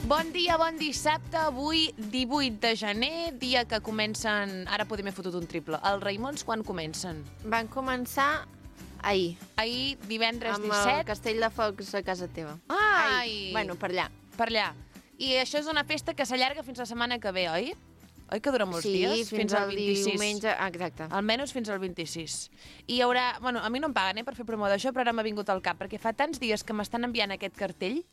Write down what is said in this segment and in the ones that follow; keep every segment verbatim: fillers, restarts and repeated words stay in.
Bon dia, bon dissabte, avui divuit de gener, dia que comencen... Ara podem haver fotut un triple. Els Raimons quan comencen? Van començar ahir. Ahir, divendres amb disset. Amb el Castell de Focs a casa teva. Ai! Ahir. Bueno, per allà. Per allà. I això és una festa que s'allarga fins la setmana que ve, oi? Oi que dura molts sí, dies? Sí, fins, fins al vint-i-sis. Diumenge, exacte. Almenys fins al vint-i-sis. I hi haurà... Bueno, a mi no em paguen, eh, per fer promo d'això, però ara m'ha vingut al cap, perquè fa tants dies que m'estan enviant aquest cartell.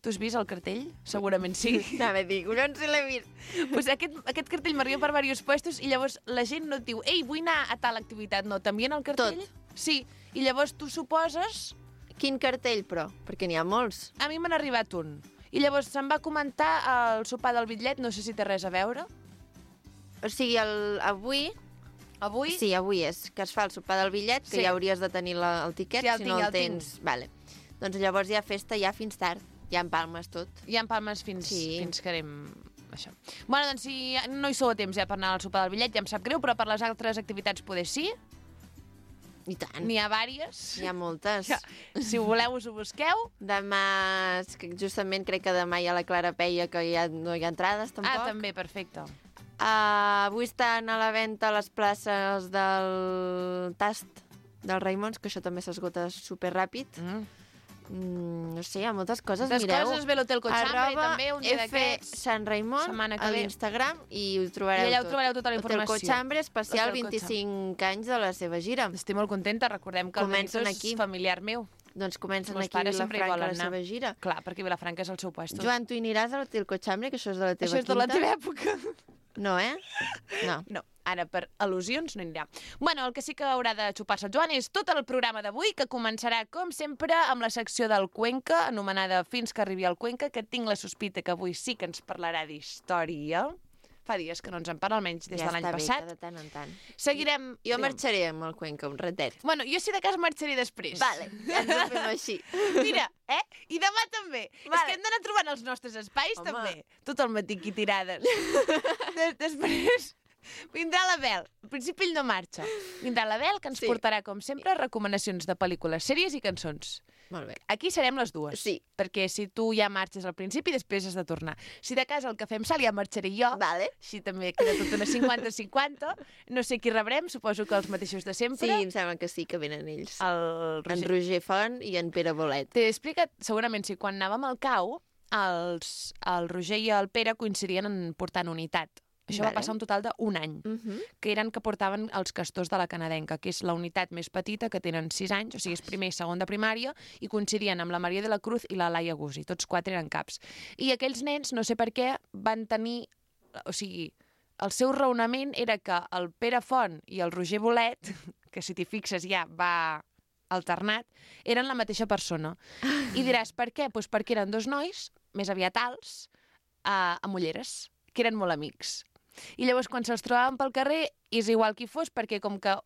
Tu has vist el cartell? Segurament sí. Anava a dir, collons si l'he vist. Pues aquest, aquest cartell m'arriba per diversos puestos i llavors la gent no et diu ei, vull anar a tal activitat. No, t'envien el cartell? Tot. Sí, i llavors tu suposes... Quin cartell, però? Perquè n'hi ha molts. A mi m'han arribat un. I llavors se'm va comentar el sopar del bitllet, no sé si té res a veure. O sigui, el, avui... Avui? Sí, avui és, que es fa el sopar del bitllet, que sí. ja hauries de tenir la, el tiquet, sí, el si tinc, no el, el tens. Tinc. Vale. Doncs llavors hi ha festa ja fins tard. Ja empalmes tot. Ja empalmes fins, sí. fins que anem... Això. Bueno, doncs si no hi sou a temps ja per anar al sopar del bitllet, ja em sap greu, però per les altres activitats poder sí. I tant. N'hi ha vàries. N'hi ha moltes. Ja. Si ho voleu, us ho busqueu. Demà, justament crec que demà hi ha la Clara Peia, que ja no hi ha entrades, tampoc. Ah, també, perfecte. Uh, avui estan a la venda les places del Tast dels Raimons, que això també s'esgota superràpid. Mm. Mm, no sé, hi ha moltes coses, moltes mireu. Moltes coses, ve l'Hotel Cochambre, també, un dia d'aquests. Sant Raimon a l'Instagram i ho trobareu tot. I allà ho trobareu tota la informació. Hotel Cochambre, especial vint-i-cinc anys de la seva gira. Estic molt contenta, recordem que comencen el Benito és familiar meu. Doncs comencen aquí a Vilafranca la seva gira. Clar, perquè Vilafranca és el seu puesto. Joan, tu hi aniràs a l'Hotel Cochambre, que això és de la teva això és quinta? de la teva època. No, eh? No. No. Ara, per al·lusions, no anirà. Bueno, el que sí que haurà de xupar-se el Joan és tot el programa d'avui, que començarà, com sempre, amb la secció del Cuenca, anomenada Fins que arribi al Cuenca, que tinc la sospita que avui sí que ens parlarà d'història. Fa dies que no ens en parla, almenys des ja de l'any passat. Ja està bé, de tant en tant. Seguirem... I, jo marxaré amb el Cuenca, un ratet. Bueno, jo si de cas marxaré després. Vale, ja ens ho fem així. Mira, eh? I demà també. Vale. És que hem d'anar trobant els nostres espais, Home. també. Tot el matí aquí tirades. Des després... Vindrà la Bel. Al principi ell no marxa. Vindrà la Bel, que ens sí. portarà, com sempre, recomanacions de pel·lícules, sèries i cançons. Molt bé. Aquí serem les dues. Sí. Perquè si tu ja marxes al principi, després has de tornar. Si de casa el que fem sal ja marxaré jo. Vale. Així també queda tot una cinquanta cinquanta. No sé qui rebrem, suposo que els mateixos de sempre. Sí, em sembla que sí, que venen ells. El Roger. En Roger Font i en Pere Bolet. T'he explicat, segurament, si quan anàvem al cau, els, el Roger i el Pere coincidien en portant unitat. Això vale. va passar un total d'un any, uh -huh. que eren que portaven els castors de la canadenca, que és la unitat més petita, que tenen sis anys, o sigui, és primer i segon de primària, i coincidien amb la Maria de la Cruz i la Laia Guzzi, tots quatre eren caps. I aquells nens, no sé per què, van tenir... O sigui, el seu raonament era que el Pere Font i el Roger Bolet, que si t'hi fixes ja va alternat, eren la mateixa persona. I diràs, per què? Pues perquè eren dos nois, més aviat alts, uh, amb ulleres, que eren molt amics. I llavors, quan se'ls trobaven pel carrer, és igual qui fos, perquè com que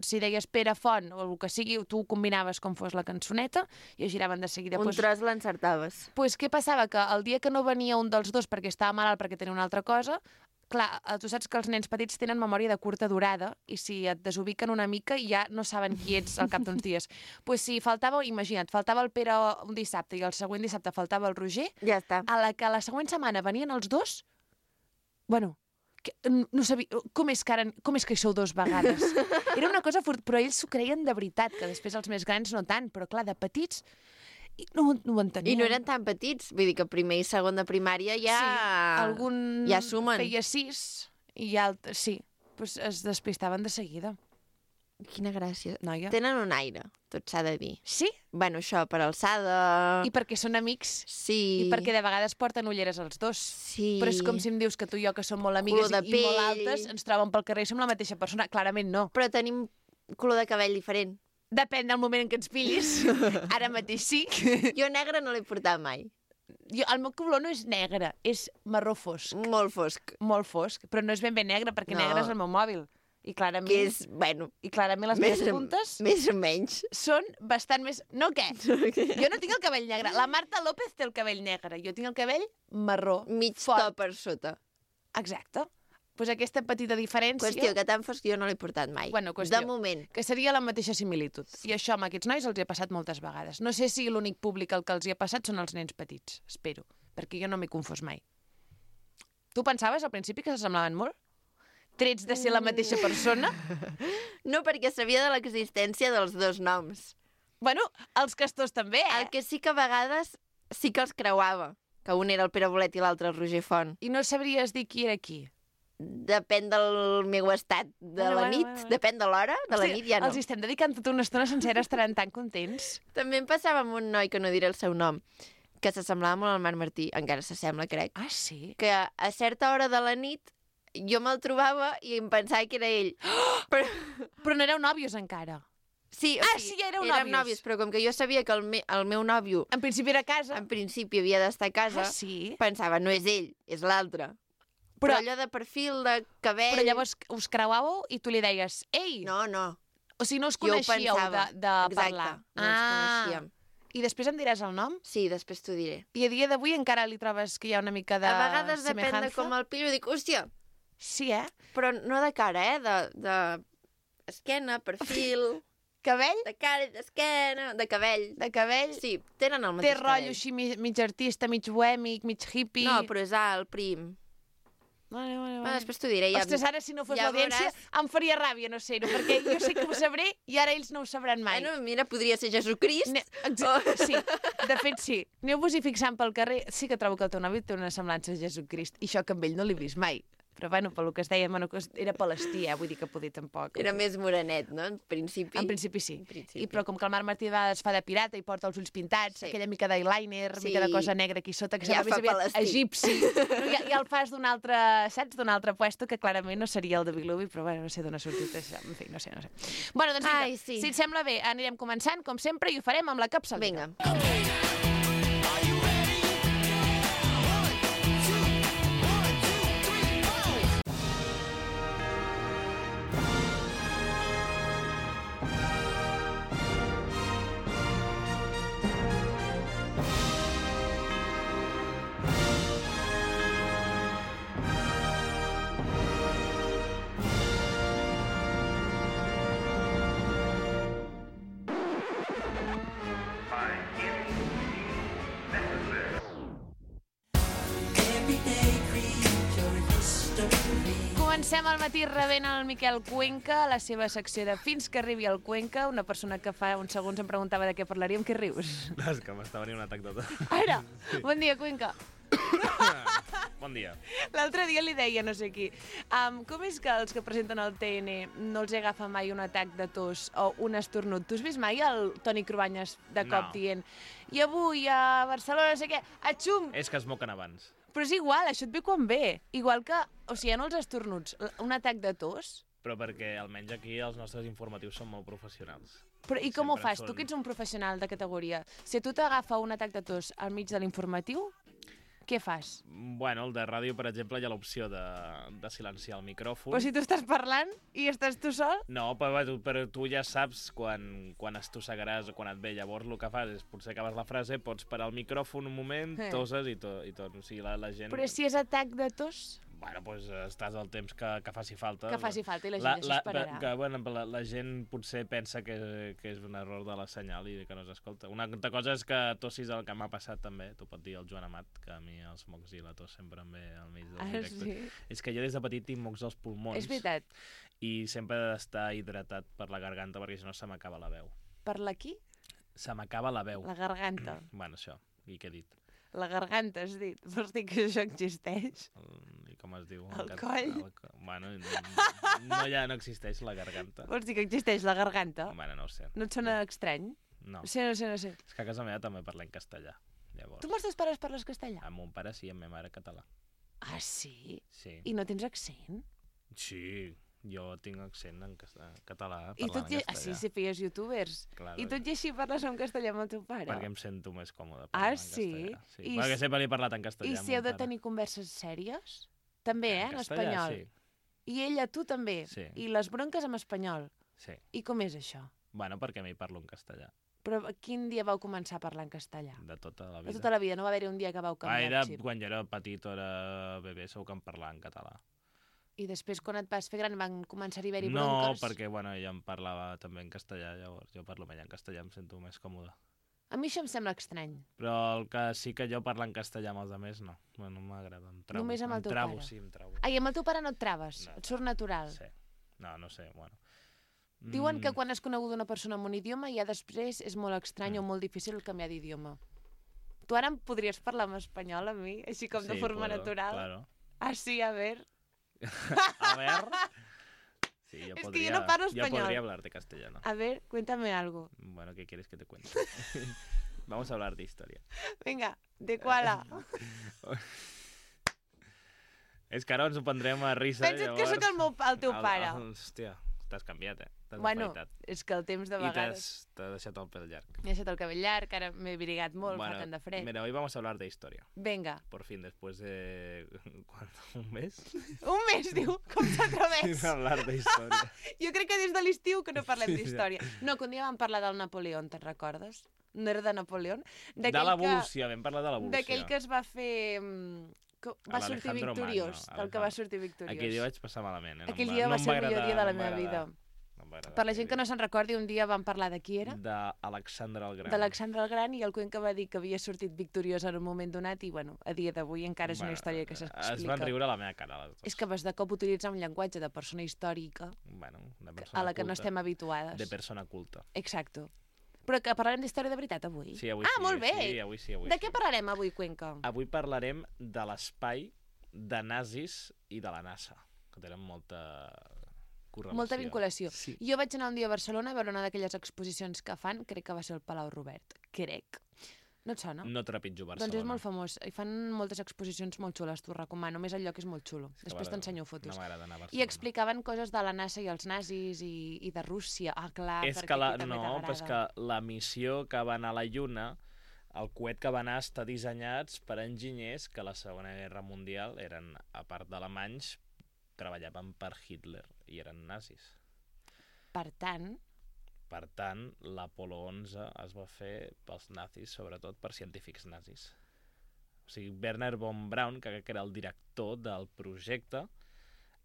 si deies Pere Font o el que sigui, tu combinaves com fos la cançoneta i es giraven de seguida. Un pues, tros l'encertaves. Doncs pues, què passava? Que el dia que no venia un dels dos perquè estava malalt, perquè tenia una altra cosa, clar, tu saps que els nens petits tenen memòria de curta durada i si et desubiquen una mica ja no saben qui ets al cap d'uns dies. Doncs pues si faltava, imagina't, faltava el Pere un dissabte i el següent dissabte faltava el Roger, ja està. A la que la següent setmana venien els dos, bueno... Que, no sabia, com és, que ara, com és que hi sou dos vegades? Era una cosa fort, però ells s'ho creien de veritat, que després els més grans no tant, però clar, de petits no, no ho entenien. I no eren tan petits, vull dir que primer i segon de primària ja... Sí, algun ja sumen. feia sis i altres, sí, pues es despistaven de seguida. Quina gràcia. Noia. Tenen un aire, tot s'ha de dir. Sí? Bueno, això, per alçada... I perquè són amics. Sí. I perquè de vegades porten ulleres els dos. Sí. Però és com si em dius que tu i jo, que som molt amigues i, i molt altes, ens troben pel carrer i som la mateixa persona. Clarament no. Però tenim color de cabell diferent. Depèn del moment en què ens pillis. Ara mateix sí. Jo negre no l'he portat mai. Jo, el meu color no és negre, és marró fosc. Molt fosc. Molt fosc, però no és ben bé negre, perquè no. negre és el meu mòbil. I clarament, que és, bueno... I clarament les més, meves puntes... Més o menys. Són bastant més... No, què? Jo no tinc el cabell negre. La Marta López té el cabell negre. Jo tinc el cabell marró. Mig fort. to per sota. Exacte. pues aquesta petita diferència... Qüestió, que tan fosc jo no l'he portat mai. Bueno, qüestió, de moment. Que seria la mateixa similitud. I això amb aquests nois els he passat moltes vegades. No sé si l'únic públic al que els hi ha passat són els nens petits, espero, perquè jo no m'he confós mai. Tu pensaves al principi que s'assemblaven molt? Trets de ser la mateixa persona? No, perquè sabia de l'existència dels dos noms. Bueno, els castors també, eh? El que sí que a vegades sí que els creuava, que un era el Pere Bolet i l'altre el Roger Font. I no sabries dir qui era qui? Depèn del meu estat de bueno, la nit, bueno, bueno. depèn de l'hora, de la nit ja no. Els estem dedicant tota una estona sencera, estaran tan contents. També em passava amb un noi, que no diré el seu nom, que s'assemblava molt al Marc Martí, encara s'assembla, crec. Ah, sí? Que a certa hora de la nit jo me'l trobava i em pensava que era ell. Oh! Però... Però no éreu nòvios encara? Sí, o ah, sigui, sí, ja éreu érem nòvios. nòvios, però com que jo sabia que el, me el meu nòvio... En principi era a casa. En principi havia d'estar a casa, ah, sí? pensava, no és ell, és l'altre. Però... però allò de perfil, de cabell... Però llavors us creuàveu i tu li deies, ei! No, no. O sigui, no us coneixíeu de, de Exacte, parlar. no ens ah. coneixíem. I després em diràs el nom? Sí, després t'ho diré. I a dia d'avui encara li trobes que hi ha una mica de semejança? A vegades semejanza? depèn de com el pillo, dic, hòstia... Sí, eh? Però no de cara, eh? De, de esquena, perfil... Cabell? De cara, d'esquena, de cabell. De cabell? Sí, tenen el mateix cabell. Té rotllo així mig, mig artista, mig bohèmic, mig hippie... No, però és alt, prim. Vale, vale, vale. Bueno, després t'ho diré. Ja... Ostres, ara si no fos ja l'audiència veuràs... em faria ràbia no ser-ho, perquè jo sé que ho sabré i ara ells no ho sabran mai. Bueno, mira, podria ser Jesucrist. Ne... Oh. Sí, de fet sí. Aneu-vos-hi fixant pel carrer. Sí que trobo que el teu nòvio té una semblança a Jesucrist, i això que amb ell no l'he vist mai. Però bueno, pel que es deia, bueno, era palestí, eh? Vull dir que poder tampoc. Era més morenet, no? En principi. En principi sí. En principi. I, però com que el Marc Martí es fa de pirata i porta els ulls pintats, sí. Aquella mica d'eyeliner, sí. Mica de cosa negra aquí sota, que ja sembla més aviat egipci. No, ja, ja el fas d'un altre, saps? D'un altre puesto que clarament no seria el de Bilubi, però bueno, no sé d'on ha sortit això. En fi, no sé, no sé. Bueno, doncs vinga, Ai, sí. Si et sembla bé, anirem començant, com sempre, i ho farem amb la capçalera. Vinga. Comencem al matí rebent el Miquel Cuenca, la seva secció de Fins que arribi el Cuenca, una persona que fa uns segons em preguntava de què parlaríem. Què rius? No, és que m'està venint un atac de tot. Ara! Sí. Bon dia, Cuenca. Bon dia. L'altre dia li deia no sé qui, um, com és que els que presenten el T N no els agafa mai un atac de tos o un estornut? Tu has vist mai el Toni Cruanyes de cop no. dient i avui a Barcelona no sé què, atxum! És que es moquen abans. Però és igual, això et ve quan ve. Igual que, o sigui, en els estornuts, un atac de tos... Però perquè almenys aquí els nostres informatius són molt professionals. Però i com ho fas? Són... Tu que ets un professional de categoria, si a tu t'agafa un atac de tos al mig de l'informatiu, què fas? Bueno, el de ràdio, per exemple, hi ha l'opció de, de silenciar el micròfon. Però si tu estàs parlant i estàs tu sol? No, però, però tu ja saps quan, quan estossegaràs o quan et ve. Llavors el que fas és, potser acabes la frase, pots parar el micròfon un moment, eh. toses i, to, i tot. O sigui, la, la gent... Però si és atac de tos... Bueno, doncs estàs al temps que, que faci falta. Que faci falta i la gent la, s'esperarà. Que, bueno, la, la gent potser pensa que, que és un error de la senyal i que no s'escolta. Una altra cosa és que tossis el que m'ha passat també. T'ho pot dir el Joan Amat, que a mi els mocs i la tos sempre em ve al mig del directe. Ah, sí? És que jo des de petit tinc mocs als pulmons. És veritat. I sempre he d'estar hidratat per la garganta perquè si no se m'acaba la veu. Per la qui? Se m'acaba la veu. La garganta. Bueno, això. I què he dit? La garganta, has dit. Vols dir que això existeix? I com es diu? El coll? El, bueno, no, no, ja no existeix la garganta. Vols dir que existeix la garganta? Bueno, no ho sé. No et sona estrany? No. No sé, no sé, no sé. És que a casa meva també parlem castellà. Llavors. Tu amb els teus pares parles castellà? Amb mon pare sí, amb ma mare català. Ah, sí? Sí. I no tens accent? Sí. Jo tinc accent en català, I parlant en castellà. Ah, sí, si feies youtubers. Claro. I tot i així parles en castellà amb el teu pare? Perquè em sento més còmode ah, parlant en sí? castellà. Sí? I perquè sempre li he parlat en castellà. I si heu de tenir converses sèries? També, eh, en, en castellà, espanyol. Sí. I ella, tu també? Sí. I les bronques en espanyol? Sí. I com és això? Bueno, perquè m'hi parlo en castellà. Però quin dia vau començar a parlar en castellà? De tota la vida. De tota la vida, no va haver-hi un dia que vau canviar ah, era, el xip? Quan jo era petit o era bebè, segur que em parlava en català. I després, quan et vas fer gran, van començar a haver-hi No, bronques? perquè, bueno, ella em parlava també en castellà, llavors jo parlo amb ella en castellà, em sento més còmode. A mi això em sembla estrany. Però el que sí que jo parlo en castellà amb els altres, no. Bueno, no m'agrada, em trabo. Només amb el em teu trabo, pare? Sí, em trabo. Ai, amb el teu pare no et traves? No. Et surt natural? Sí. No, no sé, bueno. Diuen Mm, que quan has conegut una persona amb un idioma, ja després és molt estrany Mm. o molt difícil canviar d'idioma. Tu ara em podries parlar en espanyol a mi, així com de sí, forma puedo, natural? Claro. Ah, sí, a ver. A ver... Sí, yo Es que yo podría, no parlo yo español. podría hablarte castellano. A ver, cuéntame algo. Bueno, ¿qué quieres que te cuente? Vamos a hablar de historia. Venga, de quala. És que ara ens ho prendrem a risa. Pensa't llavors... que sóc el, meu, el teu El- pare. el- Hòstia, t'has canviat, eh? T'has Bueno, afaitat. és que el temps de I vegades... t'has t'has deixat el pèl llarg. M'he deixat el cabell llarg, ara m'he brigat molt, fa tant de fred. Mira, hoy vamos a hablar de historia. Venga. Por fin, después de... ¿Cuánto? ¿Un mes? Un mes, diu, com s'atreveix? Sin hablar de historia. Jo crec que des de l'estiu que no parlem Sí, d'història. No, que un dia vam parlar del Napoleó, te'n recordes? No era de Napoleó? De l'evolució, vam parlar de l'evolució. D'aquell que es va fer... mm, que va sortir L'Alejandro victoriós, Magno, del que va sortir victoriós. Aquell dia vaig passar malament, eh? No Aquell em dia va no em ser el millor agradar, dia de la no em meva va vida. agradar. No em va agradar Per la aquell gent que no dia. se'n recordi, un dia vam parlar de qui era, d'Alexandre el Gran. d'Alexandre el Gran, i el Cuenca va dir que havia sortit victoriós en un moment donat i, bueno, a dia d'avui encara és una Bueno, història que s'explica. Es van riure a la meva cara, les dues. És que vas de cop utilitzar un llenguatge de persona històrica Bueno, de persona a la que no culta. estem habituades. De persona culta. Exacto. Però que parlarem d'història de veritat avui? Sí, avui ah, sí. molt bé! Sí, avui sí, avui de sí. què parlarem avui, Cuenca? Avui parlarem de l'espai, de nazis i de la NASA, que tenen molta correlació. Molta vinculació. Sí. Jo vaig anar un dia a Barcelona a veure una d'aquelles exposicions que fan, crec que va ser el Palau Robert. Crec. No et sona? No trepitjo Barcelona. Doncs és molt famós. I fan moltes exposicions molt xules, t'ho recomano. A més, el lloc és molt xulo. És que Després m'agrada- t'ensenyo fotos. No m'agrada anar a I Barcelona. explicaven coses de la NASA i els nazis i, i de Rússia. Ah, clar, És perquè que la, aquí també no, t'agrada. però és que la missió que va anar a la Lluna, el coet que va anar està dissenyats per enginyers que a la Segona Guerra Mundial eren, a part d'alemanys, treballaven per Hitler i eren nazis. Per tant, Per tant, l'Apolo onze es va fer pels nazis, sobretot per científics nazis. O sigui, Werner von Braun, que crec que era el director del projecte,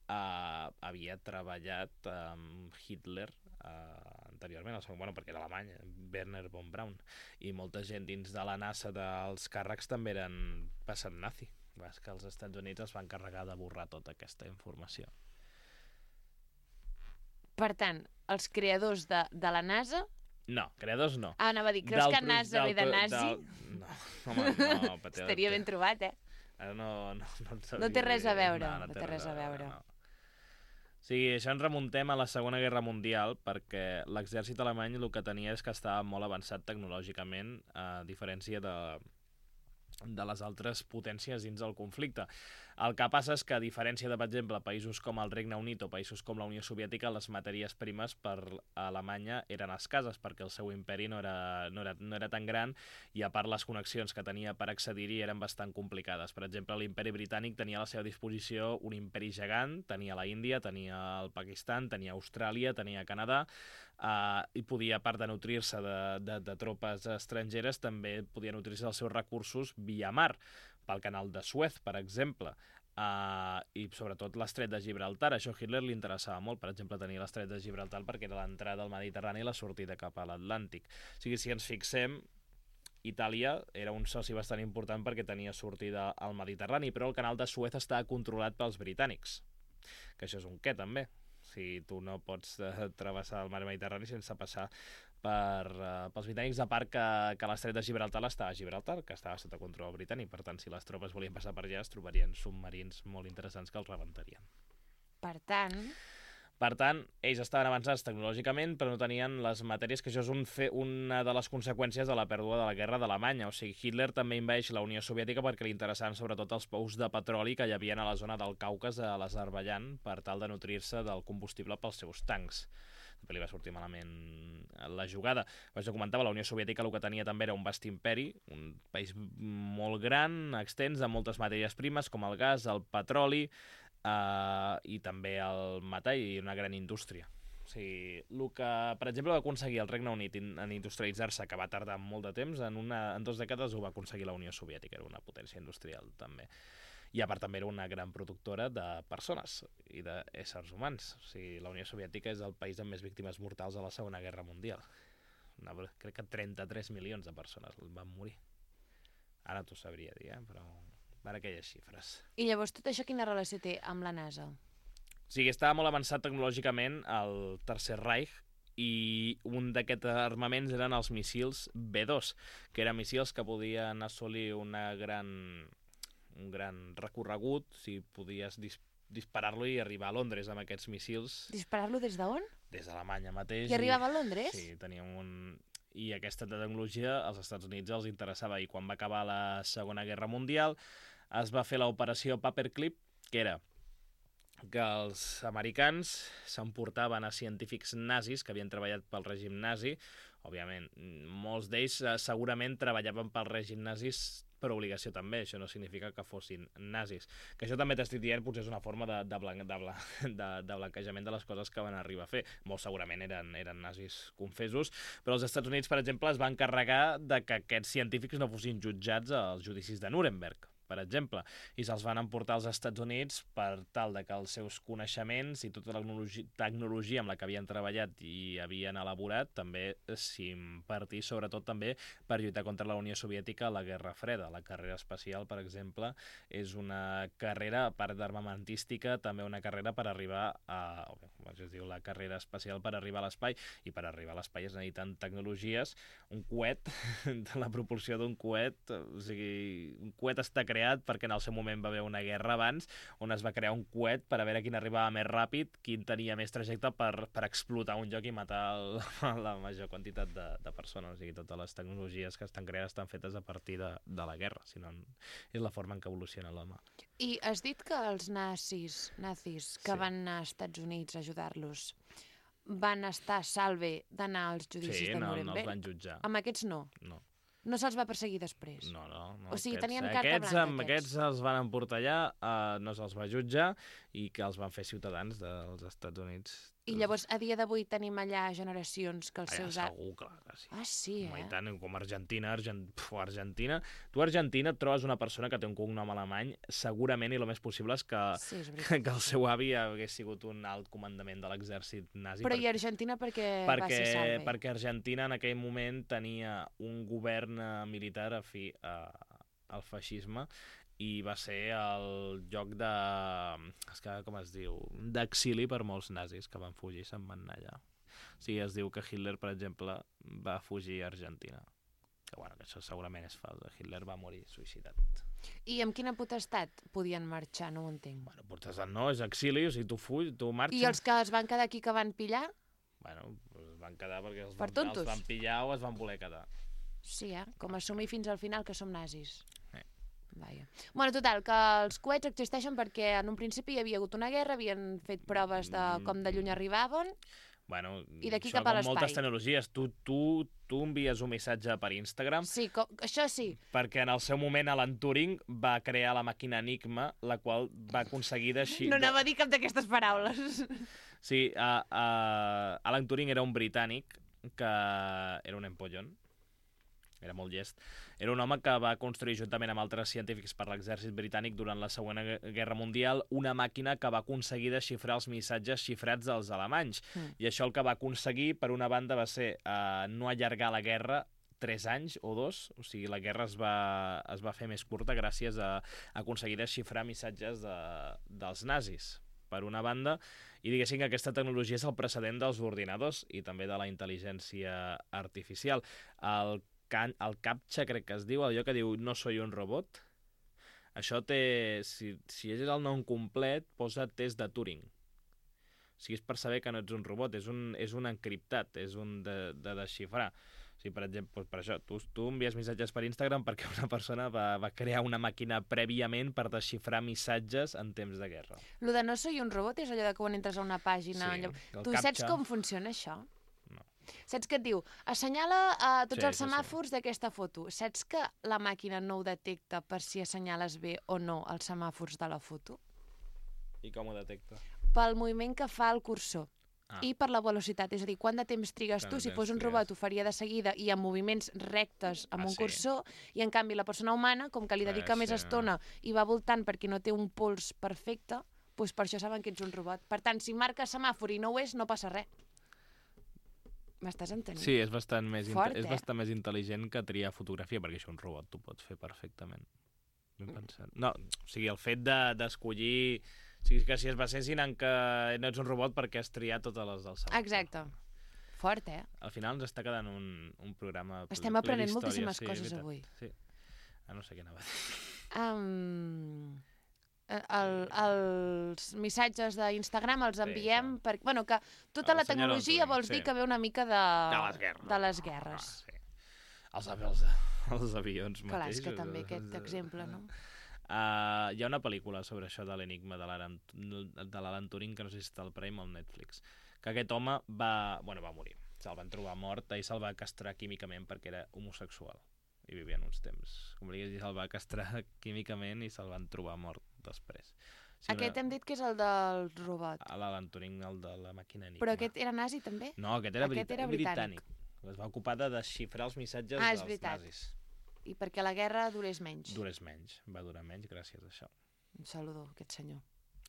eh, havia treballat amb Hitler eh, anteriorment, o sigui, bueno, perquè era alemany, Werner von Braun, i molta gent dins de la NASA dels càrrecs també eren passant nazi. És que els Estats Units es van encarregar de borrar tota aquesta informació. per tant, els creadors de, de la NASA... No, creadors no. Ah, anava a dir, creus Del que pro- NASA ve de del- nazi? del- No, home, no, Pateo, Estaria ben trobat, eh? Ara no, no, no, et No té sabria res a dir. veure, no té res a veure. No. O sigui, això ens remuntem a la Segona Guerra Mundial perquè l'exèrcit alemany el que tenia és que estava molt avançat tecnològicament, a diferència de, de les altres potències dins del conflicte. El que passa és que, a diferència de, per exemple, països com el Regne Unit o països com la Unió Soviètica, les matèries primes per a Alemanya eren escasses perquè el seu imperi no era, no era, no era tan gran i, a part, les connexions que tenia per accedir-hi eren bastant complicades. Per exemple, l'imperi britànic tenia a la seva disposició un imperi gegant, tenia la Índia, tenia el Pakistan, tenia Austràlia, tenia Canadà, Uh, i podia, a part de nutrir-se de, de, de tropes estrangeres, també podia nutrir-se dels seus recursos via mar, pel canal de Suez, per exemple, uh, i sobretot l'estret de Gibraltar. Això a Hitler li interessava molt, per exemple, tenir l'estret de Gibraltar perquè era l'entrada al Mediterrani i la sortida cap a l'Atlàntic. O sigui, si ens fixem, Itàlia era un soci bastant important perquè tenia sortida al Mediterrani, però el canal de Suez estava controlat pels britànics, que això és un què, també. Si tu no pots uh, travessar el mar Mediterrani sense passar per, uh, pels britànics, a part que, que l'estret de Gibraltar estava a Gibraltar, que estava sota control britànic. Per tant, si les tropes volien passar per allà, es trobarien submarins molt interessants que els rebentarien. Per tant... Per tant, ells estaven avançats tecnològicament, però no tenien les matèries, que això és un fe, una de les conseqüències de la pèrdua de la guerra d'Alemanya. O sigui, Hitler també invadeix la Unió Soviètica perquè li interessaven sobretot els pous de petroli que hi havia a la zona del Caucas, a l'Azerbaidjan, per tal de nutrir-se del combustible pels seus tancs. També li va sortir malament la jugada. Com jo comentava, la Unió Soviètica el que tenia també era un vast imperi, un país molt gran, extens, amb moltes matèries primes, com el gas, el petroli, Uh, i també el metall i una gran indústria. O sigui, el que, per exemple, va aconseguir el Regne Unit en industrialitzar-se, que va tardar molt de temps, en, una, en dues dècades ho va aconseguir la Unió Soviètica, era una potència industrial també. I a part també era una gran productora de persones i d'éssers humans. O sigui, la Unió Soviètica és el país amb més víctimes mortals a la Segona Guerra Mundial. Una, crec que trenta-tres milions de persones van morir. Ara t'ho sabria dir, eh? Però van aquelles xifres. I llavors tot això quina relació té amb la NASA? O sigui, estava molt avançat tecnològicament el Tercer Reich i un d'aquests armaments eren els míssils B dos, que eren míssils que podien assolir una gran, un gran recorregut, si podies dis disparar-lo i arribar a Londres amb aquests míssils. Disparar-lo des d'on? Des d'Alemanya mateix. I arribava a Londres? Sí, teníem un... I aquesta tecnologia als Estats Units els interessava. I quan va acabar la Segona Guerra Mundial es va fer l'operació Paperclip, que era que els americans s'emportaven a científics nazis que havien treballat pel règim nazi. Òbviament, molts d'ells segurament treballaven pel règim nazis per obligació també, això no significa que fossin nazis. Que això també t'estic dient, potser és una forma de, de, blan de, blan de, de blanquejament de les coses que van arribar a fer. Molt segurament eren, eren nazis confessos, però els Estats Units, per exemple, es van encarregar de que aquests científics no fossin jutjats als judicis de Nuremberg, per exemple, i se'ls van emportar als Estats Units per tal de que els seus coneixements i tota la tecnologia, tecnologia amb la que havien treballat i havien elaborat també s'impartís, sobretot també per lluitar contra la Unió Soviètica a la Guerra Freda. La carrera espacial, per exemple, és una carrera, a part d'armamentística, també una carrera per arribar a... es diu la carrera espacial per arribar a l'espai, i per arribar a l'espai es necessiten tecnologies. Un coet, de la proporció d'un coet, o sigui, un coet està creat perquè en el seu moment va haver una guerra abans on es va crear un coet per a veure quin arribava més ràpid, quin tenia més trajecte per, per explotar un lloc i matar el, la major quantitat de, de persones. O sigui, totes les tecnologies que estan creades estan fetes a partir de, de la guerra, si no és la forma en què evoluciona l'home. I has dit que els nazis, nazis que Sí. van anar als Estats Units a ajudar-los van estar a salve d'anar als judicis Sí, de no, no Nuremberg? els van jutjar. Amb aquests no? No. No se'ls va perseguir després? No, no. no O sigui, aquests, tenien carta aquests, blanca, amb aquests. aquests els van emportar allà, uh, no se'ls va jutjar i que els van fer ciutadans dels Estats Units. I llavors, a dia d'avui tenim allà generacions que els Allà seus... segur, clar que sí. Ah, sí, Home, eh? i tant, com Argentina, Argent... Puf, Argentina. Tu a Argentina et trobes una persona que té un cognom alemany, segurament, i el més possible és que, Sí, és que, veritat. que el seu avi hagués sigut un alt comandament de l'exèrcit nazi. Però per- i Argentina perquè, perquè, va ser salve? perquè Argentina en aquell moment tenia un govern eh, militar afí a, al feixisme i va ser el lloc de... És que, com es diu? D'exili per molts nazis que van fugir i se'n van anar allà. O sigui, es diu que Hitler, per exemple, va fugir a Argentina. Que, bueno, que això segurament és fals. Hitler va morir suïcidat. I amb quina potestat podien marxar? No ho entenc. Bueno, potestat no, és exili, o sigui, tu fuig, tu marxes... I els que es van quedar aquí que van pillar? Bueno, pues es van quedar perquè els Per van, tontos? els van pillar o es van voler quedar. Sí, eh? Com assumir fins al final que som nazis. Eh. Vaja. Bueno, total, que els coets existeixen perquè en un principi hi havia hagut una guerra, havien fet proves de com de lluny arribaven. Bueno, I d'aquí això cap a com l'espai. moltes tecnologies. Tu, tu, tu envies un missatge per Instagram Sí, co això sí. perquè en el seu moment Alan Turing va crear la màquina Enigma, la qual va aconseguir d'així... No anava a dir cap d'aquestes paraules. Sí, uh, uh, Alan Turing era un britànic que era un empollón, era molt llest. Era un home que va construir juntament amb altres científics per l'exèrcit britànic durant la Segona Guerra Mundial una màquina que va aconseguir desxifrar els missatges xifrats dels alemanys. Mm. I això el que va aconseguir, per una banda, va ser uh, no allargar la guerra tres anys o dos, o sigui, la guerra es va, es va fer més curta gràcies a, a aconseguir desxifrar missatges de, dels nazis, per una banda, i diguéssim que aquesta tecnologia és el precedent dels ordinadors i també de la intel·ligència artificial. El, can, el CAPTCHA, crec que es diu, allò que diu no soy un robot, això té, si, si és el nom complet, posa test de Turing. O sigui, és per saber que no ets un robot, és un, és un encriptat, és un de, de desxifrar. O sigui, per exemple, per això, tu, tu envies missatges per Instagram perquè una persona va, va crear una màquina prèviament per desxifrar missatges en temps de guerra. Lo de no soy un robot és allò de que quan entres a una pàgina... Sí, allò... el Tu captcha. saps com funciona això? No. Saps que et diu, assenyala a tots Sí, els sí, sí. semàfors d'aquesta foto. Saps que la màquina no ho detecta per si assenyales bé o no els semàfors de la foto? I com ho detecta? Pel moviment que fa el cursor. ah. i per la velocitat. És a dir, quant de temps trigues tu? Si fos un robot ho faria de seguida i amb moviments rectes amb ah, un cursor, sí. i en canvi la persona humana, com que li dedica ah, més sí, estona no. i va voltant perquè no té un pols perfecte, doncs per això saben que ets un robot. Per tant, si marca semàfor i no ho és, no passa res. M'estàs entenent? Sí, és bastant més, Fort, és eh? bastant més intel·ligent que triar fotografia, perquè això un robot t'ho pots fer perfectament. Ben pensat. No, o sigui, el fet d'escollir... De, o sigui, que si es basessin en que no ets un robot perquè has triat totes les del semàfor. Exacte. Fort, eh? Al final ens està quedant un, un programa... Estem aprenent moltíssimes sí, coses avui. Sí. Ah, no sé què anava a dir. Um... El, els missatges d'Instagram els enviem sí, perquè, bueno, que tota la tecnologia vols sí. dir que ve una mica de, de les guerres. De les guerres. Ah, sí. els, els, els avions Clar, mateixos. És que també aquest exemple, no? Uh, hi ha una pel·lícula sobre això de l'enigma de l'Alan Turing, que no sé si està al Prime o al Netflix, que aquest home va, bueno, va morir. Se'l van trobar mort i se'l va castrar químicament perquè era homosexual. I vivien uns temps. Com li dius, se'l va castrar químicament i se'l van trobar mort després. Sí, aquest una... hem dit que és el del robot. L'Alan Turing, el de la màquina Enigma. Però aquest era nazi també? No, aquest era, aquest era britànic. britànic. Es va ocupar de desxifrar els missatges ah, dels veritat. nazis. I perquè la guerra durés menys. Durés menys, va durar menys gràcies a això. Un saludo, aquest senyor.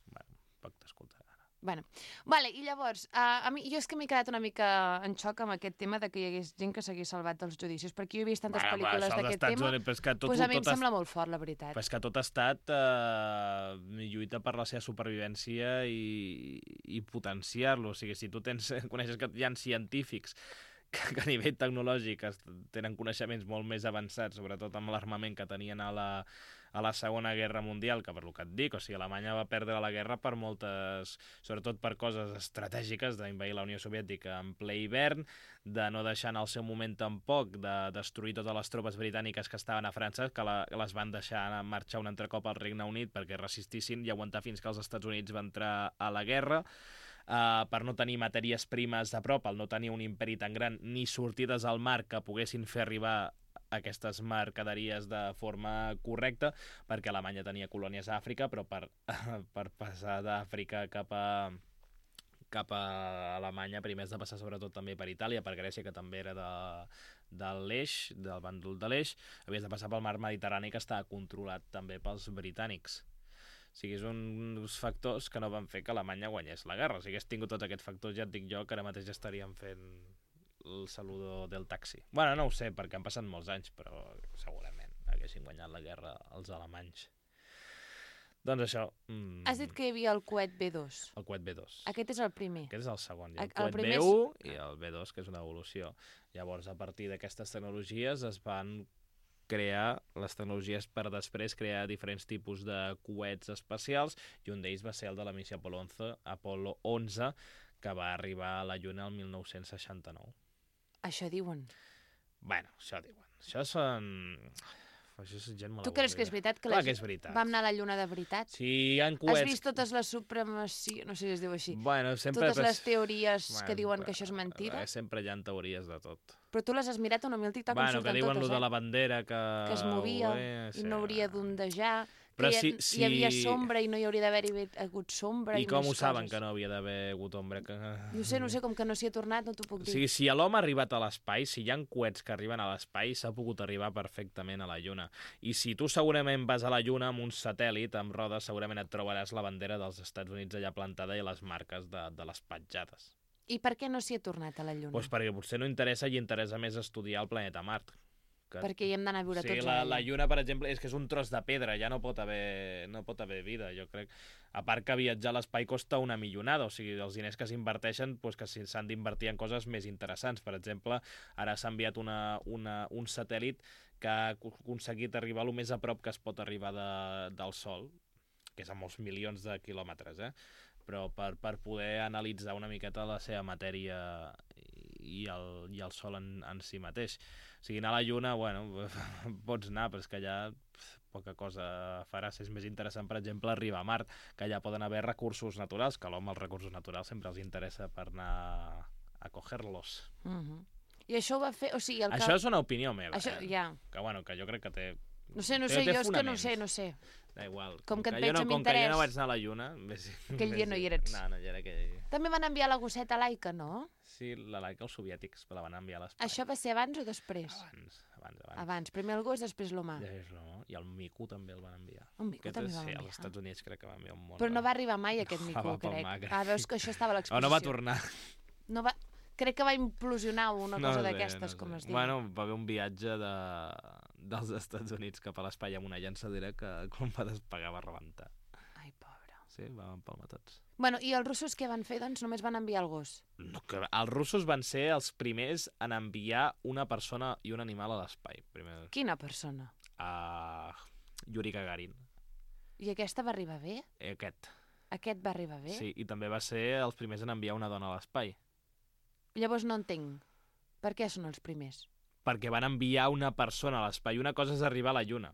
Bueno, poc t'escoltarà. Bueno, vale, i llavors, uh, a mi, jo és que m'he quedat una mica en xoc amb aquest tema de que hi hagués gent que s'hagués salvat dels judicis, perquè jo he vist tantes bueno, pel·lícules d'aquest tema, doncs pues a mi em sembla est... molt fort, la veritat. Però és que tot ha estat uh, lluita per la seva supervivència i, i potenciar-lo. O sigui, si tu tens, coneixes que hi ha científics que, que a nivell tecnològic tenen coneixements molt més avançats, sobretot amb l'armament que tenien a la, a la Segona Guerra Mundial, que per lo que et dic, o sigui, Alemanya va perdre la guerra per moltes, sobretot per coses estratègiques, d'invair la Unió Soviètica en ple hivern, de no deixar en el seu moment tampoc de destruir totes les tropes britàniques que estaven a França, que la, les van deixar marxar un altre cop al Regne Unit perquè resistissin i aguantar fins que els Estats Units van entrar a la guerra. Uh, per no tenir matèries primes a prop, el no tenir un imperi tan gran, ni sortides al mar que poguessin fer arribar aquestes mercaderies de forma correcta, perquè Alemanya tenia colònies a Àfrica, però per, per passar d'Àfrica cap a, cap a Alemanya primer has de passar sobretot també per Itàlia, per Grècia, que també era de, de l'Eix, del bàndol de l'Eix, havies de passar pel mar Mediterrani, que estava controlat també pels britànics. O sigui, és uns factors que no van fer que Alemanya guanyés la guerra. Si hagués tingut tots aquests factors, ja et dic jo que ara mateix ja estaríem fent el saludo del taxi. Bueno, no ho sé, perquè han passat molts anys, però segurament haguessin guanyat la guerra els alemanys. Doncs això... Mm... Has dit que hi havia el coet B dos. El coet B dos. Aquest és el primer. Aquest és el segon. Hi ha el, el coet B u és... i el B dos, que és una evolució. Llavors, a partir d'aquestes tecnologies es van crear les tecnologies per després crear diferents tipus de coets espacials, i un d'ells va ser el de la missió Apolo onze, Apolo onze, que va arribar a la Lluna el mil nou-cents seixanta-nou. Això diuen. Bueno, això diuen. Això són... Això és gent molt tu creus que és veritat que, Clar la... que és veritat. Vam anar a la Lluna de veritat? Sí, hi ha coets... Has vist totes les supremacies... No sé si es diu així. Bueno, sempre... Totes les teories bueno, que diuen que això és mentida? Sempre hi ha teories de tot. Però tu les has mirat o no? A mi el TikTok bueno, em surten que diuen totes, lo eh? de la bandera que... Que es movia Ué, sí. i no hauria d'ondejar... Però que si, hi, si... hi havia sombra i no hi hauria d'haver hagut sombra i, I com ho coses. saben que no havia d'haver hagut ombra? Que... No sé, no sé, com que no s'hi ha tornat, no t'ho puc dir. O sigui, si l'home ha arribat a l'espai, si hi ha coets que arriben a l'espai, s'ha pogut arribar perfectament a la Lluna. I si tu segurament vas a la Lluna amb un satèl·lit, amb rodes, segurament et trobaràs la bandera dels Estats Units allà plantada i les marques de, de les petjades. I per què no s'hi ha tornat a la Lluna? Pues perquè potser no interessa i interessa més estudiar el planeta Mart. Que... Perquè hi hem d'anar a viure sí, tots la, la Lluna, per exemple, és que és un tros de pedra, ja no pot haver, no pot haver vida, jo crec. A part que viatjar a l'espai costa una milionada, o sigui, els diners que s'inverteixen pues, que s'han d'invertir en coses més interessants. Per exemple, ara s'ha enviat una, una, un satèl·lit que ha aconseguit arribar el més a prop que es pot arribar de, del Sol, que és a molts milions de quilòmetres, eh? Però per, per poder analitzar una miqueta la seva matèria i el, i el Sol en, en si mateix. O sigui, anar a la Lluna, bueno, pots anar, però és que allà poca cosa faràs. És més interessant, per exemple, arribar a Mart, que allà poden haver recursos naturals, que a l'home els recursos naturals sempre els interessa per anar a coger-los. Uh-huh. I això ho va fer... O sigui, el això que... és una opinió meva, això, eh? Ja. Que, bueno, que jo crec que té No sé, no sé, jo és que no sé, no sé. Da igual. Com que et jo veig no, amb com que jo interès. no vaig anar a la Lluna... Ves, Aquell dia no hi eres. No, no hi era aquell dia. També van enviar la gosseta Laika, no? Sí, la Laika els soviètics la van enviar a l'espai. Això va ser abans o després? Abans, abans, abans. Abans. Primer el gos, després l'humà. Ja és l'humà. I el mico també el van enviar. Un mico Aquest també és, va sí, enviar. als Estats Units crec que va enviar un món. Però no va arribar mai aquest No, mico, va pel crec. mar, crec. Ah, veus que això estava a l'exposició. O no va tornar. No va... Crec que va implosionar una No cosa sé, d'aquestes, no sé. com es diu. Bueno, va haver un viatge de... dels Estats Units cap a l'espai amb una llançadera que quan va despegar va rebentar. Ai, pobre. Sí, va empalmar tots. Bueno, i els russos què van fer? Doncs només van enviar el gos. No, que els russos van ser els primers en enviar una persona i un animal a l'espai. Primer... Quina persona? Uh, Yuri Gagarin. I aquesta va arribar bé? Eh, Aquest. Aquest va arribar bé? Sí, i també va ser els primers en enviar una dona a l'espai. Llavors no entenc. Per què són els primers? Perquè van enviar una persona a l'espai. Una cosa és arribar a la Lluna.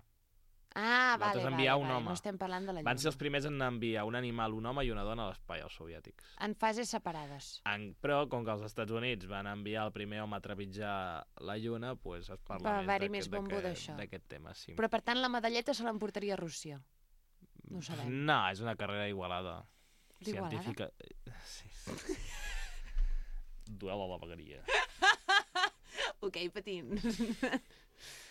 Ah, vale, Nosaltres vale, enviar vale. un home. No estem parlant de la Lluna. Van ser els primers en enviar un animal, un home i una dona a l'espai, els soviètics. En fases separades. En, però, com que els Estats Units van enviar el primer home a trepitjar la Lluna, doncs es parla Va més haver-hi d'aquest- més bombo d'aquest- d'això. d'aquest tema. Sí. Però, per tant, la medalleta se l'emportaria a Rússia. No ho sabem. No, és una carrera igualada. D'Igualada? Científica. Sí. Duel a la vegueria. Ok, patins.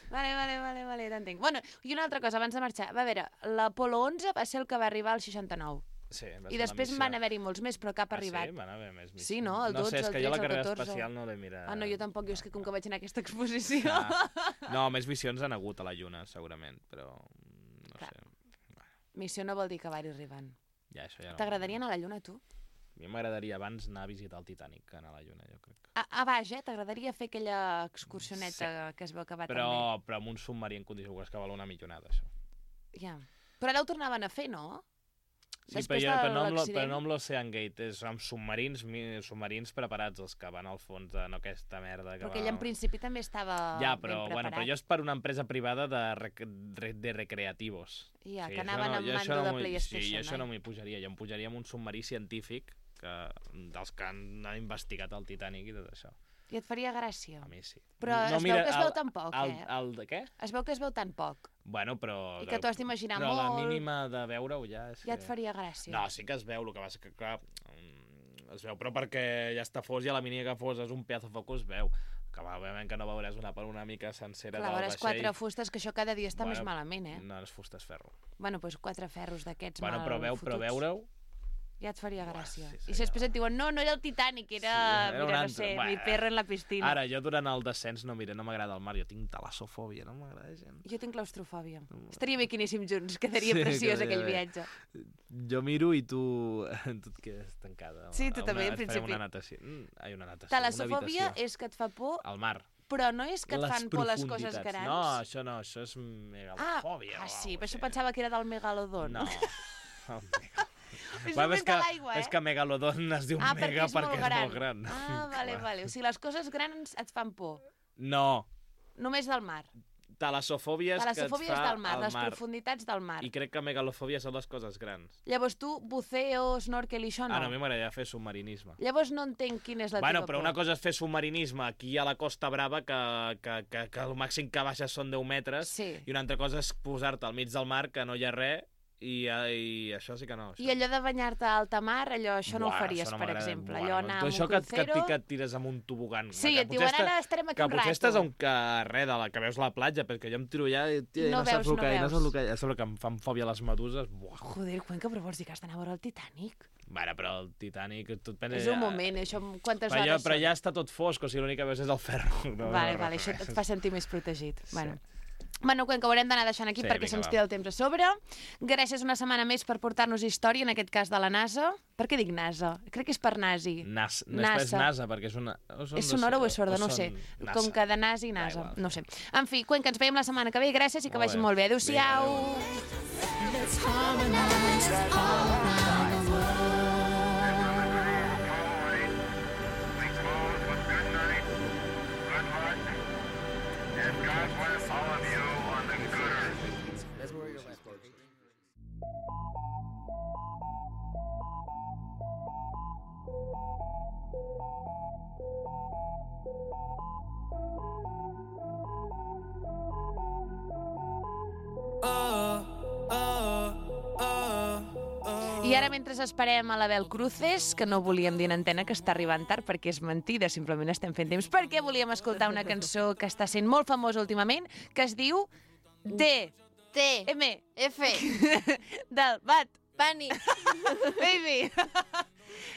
Vale, vale, vale, vale, t'entenc. Bueno, i una altra cosa, abans de marxar. Va, a veure, l'Apolo onze va ser el que va arribar al seixanta-nou. Sí, va I ser després la missió. van haver-hi molts més, però cap ha Ah, arribat. sí? Van haver més missions. Sí, no? El No sé, dotze, és el que jo la tretze, el carrera catorze. espacial no l'he mirat. Ah, no, jo tampoc. Jo és que com que vaig anar a aquesta exposició... Ah. No, més missions han hagut a la Lluna, segurament, però no Clar. sé. Missió no vol dir que va-hi arribant. Ja, això ja no. T'agradaria anar a la Lluna, tu? A mi m'agradaria abans anar a visitar el Titanic que anar a la Lluna, jo crec. A, a baix, eh? T'agradaria fer aquella excursioneta que es veu que va Però, tan però amb un submarí en condició que val una millonada, això. bé. Ja. Però ara ho tornaven a fer, no? Sí, Després però, jo, de però, no amb, lo- l'accident. però no amb l'Ocean Gate, és amb submarins, mi- submarins preparats, els que van al fons de no aquesta merda. Que Però va... aquell en principi també estava Ja, però, ben bueno, preparat. però jo és per una empresa privada de, rec de, de recreativos. Ja, Sí, que això anaven no- amb jo això mando no de m'ho- PlayStation. Sí, jo això oi? no m'hi pujaria. Jo em pujaria amb un submarí científic que, dels que han investigat el Titanic i tot això. I et faria gràcia. A mi sí. Però es veu que es veu tan poc, el, eh? El, de què? Es veu que es veu tan poc. Bueno, però... I que t'ho has d'imaginar però molt. Però la mínima de veure-ho ja és Ja que... et faria gràcia. No, sí que es veu, el que passa que, clar, mm, es veu, però perquè ja està fos i a la mínima que fos és un pedazo de foc es veu. Que va, òbviament que no veuràs una panoràmica sencera Clar, del veuràs vaixell. quatre fustes, que això cada dia està Bueno, més malament, eh? No, no és fusta, és ferro. Bueno, doncs quatre ferros d'aquests Bueno, mal però, veu, però fotuts. veure-ho... Ja et faria gràcia. sí, I si seria- després et diuen, no, no era el Titanic, era, Sí, era un mira, no altre. sé, Bueno. mi perro en la piscina. Ara, jo durant el descens no, mira, no m'agrada el mar, jo tinc talassofòbia, no m'agrada gent. Jo tinc claustrofòbia. Estaria bé que anéssim junts, quedaria Sí, preciós quedaria aquell bé. viatge. Jo miro i tu, tu et quedes tancada. Sí, tu A també, una, en farem principi. Una natació. Mm, ai, una natació, Talassofòbia una habitació. és que et fa por, Al mar. però no és que et Les fan por les coses profunditats. grans. No, això no, això és ah, megalofòbia. ah, o sí, alguna però això cosa pensava que era del megalodon. No. El megalodon. És Bueno, només és que, de l'aigua, eh? és que Megalodon es diu ah, Mega perquè és molt perquè gran. és molt gran. Ah, vale, Clar. vale. O sigui, les coses grans et fan por. No, Només del mar. talassofòbia és que et Talassofòbia és fa del mar, al les mar. profunditats del mar. I crec que megalofòbia són les coses grans. Llavors tu, buceo, snorkel i això no. Ah, no, a mi m'agradaria fer submarinisme. Llavors no entenc quina és la Bueno, teva però por. una cosa és fer submarinisme aquí a la Costa Brava, que, que, que, que el màxim que baixes són deu metres, Sí. i una altra cosa és posar-te al mig del mar, que no hi ha res, i, i això sí que no. Això. I allò de banyar-te a alta mar, allò, això no Buah, ho faries, això no per m'agrada. exemple. Buah, allò no. anar Tu amb això un que, et- que, et- crucero... que et tires amb un tobogan. Sí, que et diuen, potser ara estarem aquí que un potser rato. estàs a un que res de la que veus la platja, perquè jo em tiro allà i, tia, No no, saps veus, el no que hi ha, no veus. saps el que hi ha. A sobre que em fan fòbia les meduses. Buah. Joder, Cuenca, però vols dir que has d'anar a veure el Titanic? Bueno, però el Titanic... Tu et penses, És un moment, això, quantes Però, ja, hores però són? ja està tot fosc, o sigui, l'únic que veus és el ferro. No, Vale, no, vale, res. això et fa sentir més protegit. Sí. Bueno. Bueno, Cuenca, ho haurem d'anar deixant aquí Sí, perquè vinga, se'ns va. tira el temps a sobre. Gràcies una setmana més per portar-nos història, en aquest cas de la NASA. Per què dic NASA? Crec que és per nazi. Nas, no NASA. és NASA, perquè és una... O són És dos- sonora o és sorda? No ho són sé. NASA. Com que de nazi i Da NASA. igual. No ho sé. En fi, Cuenca, ens veiem la setmana que ve. Gràcies i que Molt vagi bé. molt bé. Vinga, Adéu-siau. adéu. Let's harmonize all around the world. God bless all of you on the good earth. That's where your left goes. I ara, mentre esperem a l'Abel Cruces, que no volíem dir en antena que està arribant tard, perquè és mentida, simplement estem fent temps, perquè volíem escoltar una cançó que està sent molt famosa últimament, que es diu D. T. M. F. Del Bad Bunny. Baby.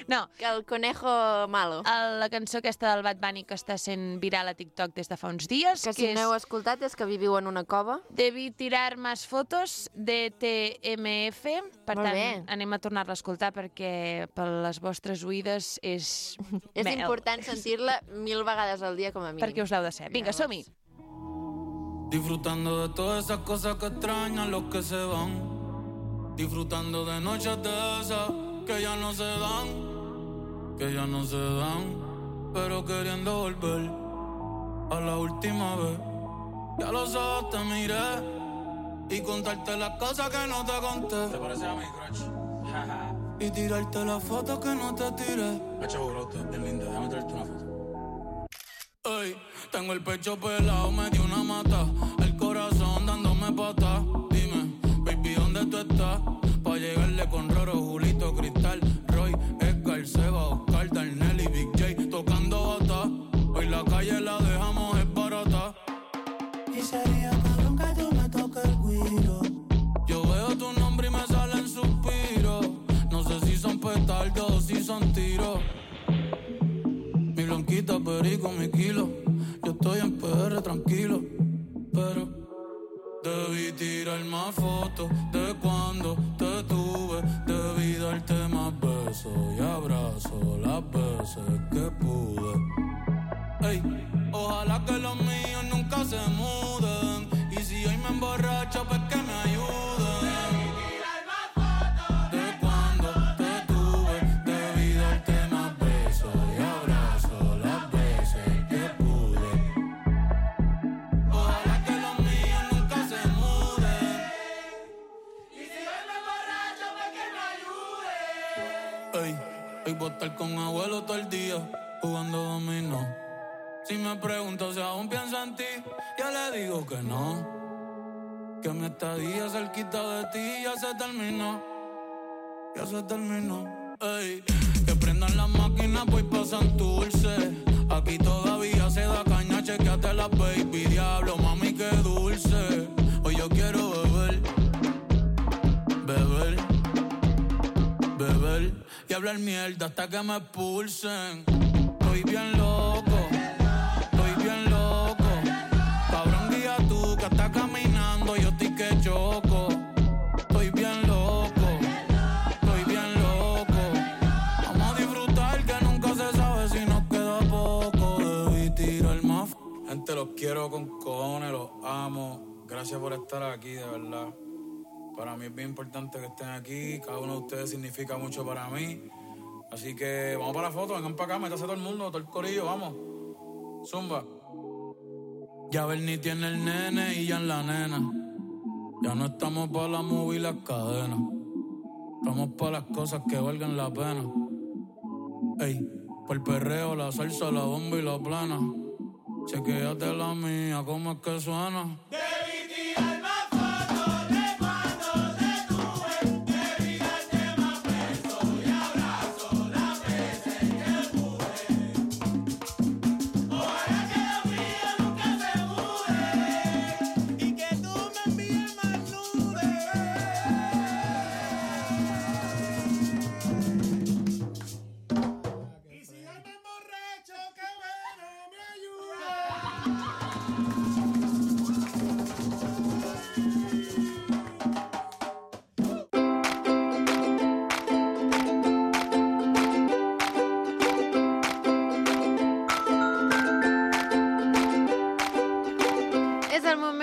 No. Que el conejo malo. El, la cançó aquesta del Bad Bunny que està sent viral a TikTok des de fa uns dies. Que si que no heu escoltat és que viviu en una cova. Debí tirar més fotos de T M F. Per Molt tant, bé. anem a tornar-la a escoltar perquè per les vostres oïdes és... És mel. important sentir-la mil vegades al dia com a mínim. Perquè us l'heu de ser. Vinga, som-hi. Disfrutando de todas esas cosas que extrañan los que se van. Disfrutando de noches de esas que ya no se dan, que ya no se dan, pero queriendo volver a la última vez. Ya los ojos te miré y contarte las cosas que no te conté. ¿Te parece a mi crush? Y tirarte las fotos que no te tiré. Hacho, bro, tú es bien linda, déjame traerte una foto. Ey, tengo el pecho pelado, me dio una mata, el corazón dándome patas. Dime, baby, ¿dónde tú estás? Pa' llegarle con Roro, Julito, Cristal, Roy, Edgar, Seba, Oscar, Darnell y Big J tocando bata. Hoy la calle la dejamos es barata. Y sería cabrón que tú me toques el guiro. Yo veo tu nombre y me salen suspiros. No sé si son petardos o si son tiros. Mi blanquita, perico, mi kilo. Yo estoy en P R tranquilo, pero debí tirar más fotos de cuando te tuve. Debí darte más besos y abrazos las veces que pude. Ey, ojalá que los míos nunca se muden. Y si hoy me emborracho, pues que me ayuden. Voy a estar con abuelo todo el día jugando dominó. Si me pregunto si aún pienso en ti, ya le digo que no. Que mi estadía cerquita de ti ya se terminó. Ya se terminó. Ey, que prendan las máquinas, pues pasan dulce. Aquí todavía se da caña, chequeate las baby. Diablo, mami, qué dulce. Hoy yo quiero beber, beber, beber y hablar mierda hasta que me expulsen. Estoy bien loco, estoy bien loco. Cabrón, guía tú que estás caminando, yo estoy que choco. Estoy bien loco, estoy bien loco. Vamos a disfrutar que nunca se sabe si nos queda poco. Debí tirar más. Gente, los quiero con cojones, los amo. Gracias por estar aquí, de verdad. Para mí es bien importante que estén aquí. Cada uno de ustedes significa mucho para mí. Así que vamos para la foto, vengan para acá, métase todo el mundo, todo el corillo, vamos. Zumba. Ya Bernie tiene el nene y ya en la nena. Ya no estamos para la movie y las cadenas. Estamos para las cosas que valgan la pena. Ey, por el perreo, la salsa, la bomba y la plana. Chequéate la mía, cómo es que suena. Debí tirar más.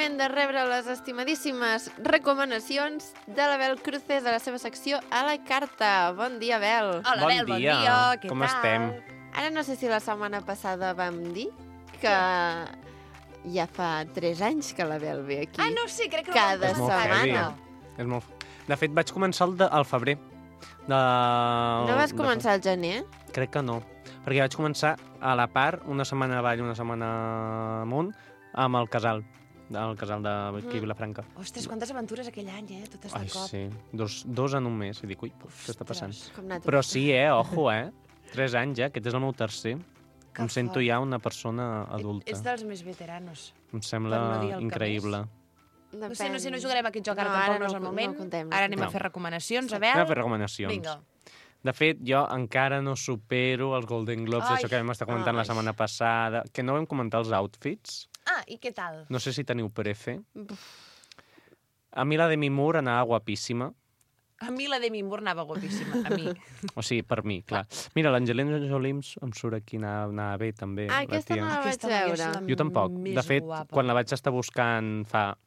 De rebre les estimadíssimes recomanacions de l'Abel Cruces de la seva secció A la Carta. Bon dia, Abel. Hola, bon Abel, bon dia. dia. Què Com tal? estem? Ara no sé si la setmana passada vam dir que ja fa tres anys que l'Abel ve aquí. Ah, no sé, crec que Cada És molt setmana. heavy. És molt... De fet, vaig començar el de, al febrer. De... No vas començar al gener? Crec que no. Perquè vaig començar a la part, una setmana avall, una setmana amunt, amb el casal. del casal de Vicky Vilafranca. Ostres, quantes aventures aquell any, eh? Totes de Ai, cop. sí. Dos, dos en un mes. I dic, ui, què està passant? Com anar Però sí, eh? Ojo, eh? Tres anys, ja. Aquest és el meu tercer. Que em sento fort. ja una persona adulta. Ets dels més veteranos. Em per sembla no dir el que increïble. No sé, no sé, no jugarem a aquest joc ara No, tampoc, ara no és no- el no moment. contem, no Ara anem contem. a fer recomanacions, a Anem a veure. fer recomanacions. Vinga. De fet, jo encara no supero els Golden Globes, Ai. això que vam estar comentant la Ai. setmana passada, que no vam comentar els outfits. Ah, i què tal? No sé si teniu prefe. A mi la Demi Moore anava guapíssima. A mi la Demi Moore anava guapíssima, a mi. O sigui, per mi, clar. Mira, l'Angelina Jolie em em surt aquí, anava, anava bé, també. Ah, la aquesta tia. no la vaig Aquesta noia és veure. la Jo tampoc. més De fet, guapa. quan la vaig estar buscant fa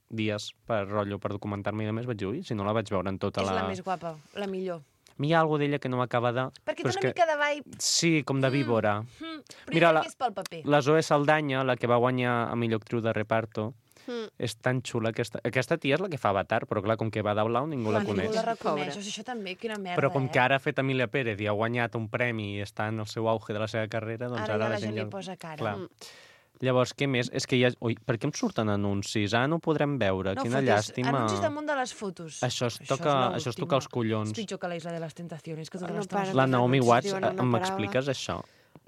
dies per rotllo, per documentar-me i a més, vaig dir, ui, si no la vaig veure en tota És la... la més guapa, la millor. A mi hi ha alguna d'ella que no m'acaba de... Perquè però té és una que... mica de vibe... Sí, com de víbora. Mm, però Mira, Mira, la- la... és pel paper. La Zoe Saldana, la que va guanyar a millor actriu de reparto, Mm. és tan xula. Aquesta, aquesta tia és la que fa Avatar, però clar, com que va d'Aulau ningú la Clar, coneix. Ningú la reconeix. Pobra. O sigui, això també, quina merda, Però com eh? que ara ha fet Emilia Pérez i ha guanyat un premi i està en el seu auge de la seva carrera, doncs Ara ara, ja la la gent ja... li posa cara. Clar. Mm. Llavors, què més? És que ja... Ui, per què em surten anuncis? Ah, no ho podrem veure. No Quina fotis llàstima. anuncis damunt de les fotos. Això es toca, això es toca els collons. És pitjor que la Isla de les Tentaciones, que tota No l'estona... para. La Naomi anuncis Watts, diuen eh, una m'expliques això?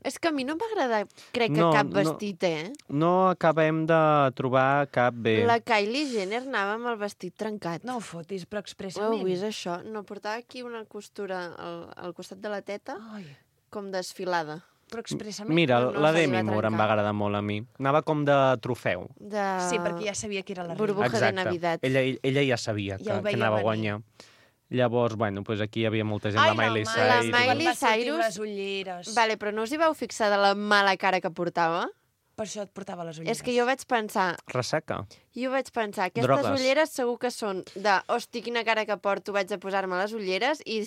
És que a mi no m'agrada, crec que No, cap no. vestit, eh? No acabem de trobar cap bé. La Kylie Jenner anava amb el vestit trencat. No ho fotis, però Ho heu expressament. vist, això? No, portava aquí una costura al, al costat de la teta, Ai, com desfilada. però expressament. Mira, no, no la se li Demi va Moore em trencar. va agradar molt a mi. Anava com de trofeu. De... Sí, perquè ja sabia que era la Burbuja reina. de Exacte. Navidad. Ella, ella ja sabia que, Ja ho que veia anava a venir. guanyar. Llavors, bueno, pues aquí hi havia molta gent, la Miley Ma- La Cyrus... Miley quan va sortir Cyrus- amb les ulleres. Vale, però no us hi vau fixar de la mala cara que portava? Per això et portava les ulleres. És que jo vaig pensar, Ressaca. jo vaig pensar, aquestes Drogues. ulleres segur que són de, hosti, quina cara que porto, vaig a posar-me les ulleres i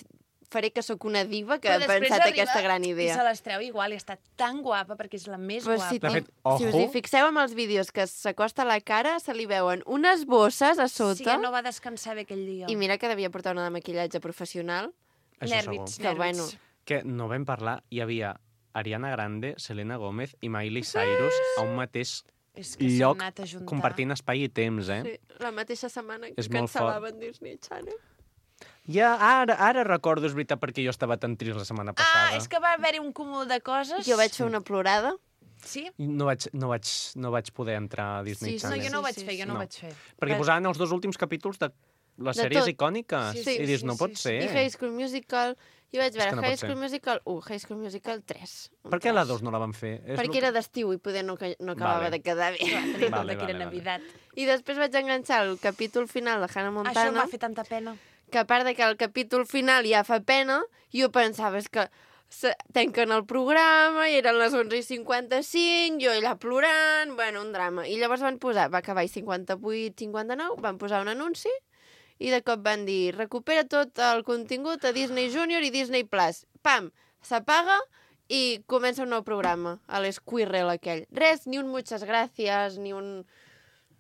faré que sóc una diva que Però ha després pensat arriba aquesta gran I idea. se les treu igual i està tan guapa perquè és la més Però guapa. si, De ti- fet, si us hi ojo. fixeu amb els vídeos que s'acosta a la cara, se li veuen unes bosses a sota. Sí, que no va descansar bé aquell dia. I mira que devia portar una de maquillatge professional. Això Nervis, segur. Que bueno. nervis. Que no vam parlar, hi havia Ariana Grande, Selena Gómez i Miley Cyrus a un mateix És que s'han lloc anat a juntar. compartint espai i temps, eh? Sí, la mateixa setmana que És molt fort. cancel·laven Disney Channel. Ja, ara, ara recordo, és veritat, perquè jo estava tan trist la setmana passada. Ah, és que va haver-hi un cúmul de coses. Jo vaig fer una plorada. Sí? I No vaig, no, vaig, no vaig poder entrar a Disney Sí, sí, No, Channel. jo no ho Sí, vaig sí, fer, jo sí. no ho No. vaig fer. Perquè Vas- posaven els dos últims capítols de les De sèries tot. icòniques. Sí, sí, I dius, sí, no sí, pot sí. ser. I High School Musical... Jo vaig veure que no High pot ser. School Musical u, High School Musical tres. Un Per què la tres. dos no la van fer? És Perquè lo- era d'estiu i poder no, ca- no acabava Vale. de quedar bé. Tenint en Vale, compte que era vale, vale. Navidad. I després vaig enganxar el capítol final de Hannah Això em Montana, va fer tanta pena. que a part de que el capítol final ja fa pena, jo pensava és que se- tanquen el programa i eren les onze i cinquanta-cinc, jo allà plorant, bueno, un drama. I llavors van posar, va acabar a cinquanta-vuit cinquanta-nou, van posar un anunci i de cop van dir recupera tot el contingut a Disney Junior i Disney Plus. Pam, s'apaga i comença un nou programa, a l'Squirrel aquell. Res, ni un muchas gracias, ni un...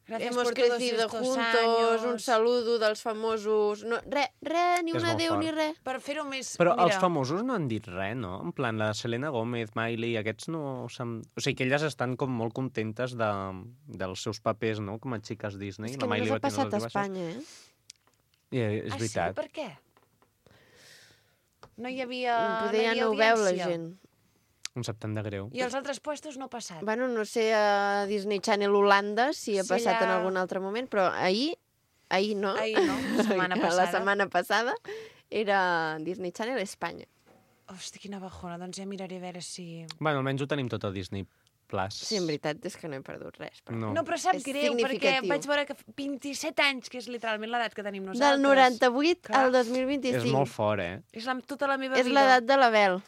Gràcies Hemos por todos crecido estos juntos, un años. saludo dels famosos... No, re, re, ni És un molt adéu fort. ni res. Per fer-ho més... Però mira, els famosos no han dit res, no? En plan, la Selena Gómez, Miley, aquests no... s'han- O sigui, que elles estan com molt contentes de, dels seus papers, no? Com a xiques Disney. És La que només Miley ha va tenir passat a les baixes. Espanya, eh? I, és ah, veritat. sí? Per què? No hi havia, Poder no hi ja havia no ho veu la audiència. gent. Em sap tant de greu. I els altres puestos no ha passat. Bueno, no sé a Disney Channel Holanda si ha Sí, passat en allà- algun altre moment, però ahir, ahir no, Ahir no, la setmana passada. la setmana passada era Disney Channel Espanya. Hosti, quina bajona. Doncs ja miraré a veure si... Bueno, almenys ho tenim tot a Disney Plus. Sí, en veritat és que no he perdut res. Però... No. No, però sap És greu, perquè significatiu. vaig veure que f- vint-i-set anys, que és literalment l'edat que tenim nosaltres. Del noranta-vuit Clar. al dos mil vint-i-cinc. És molt fort, eh? És la, tota la meva És vida. l'edat de l'Abel.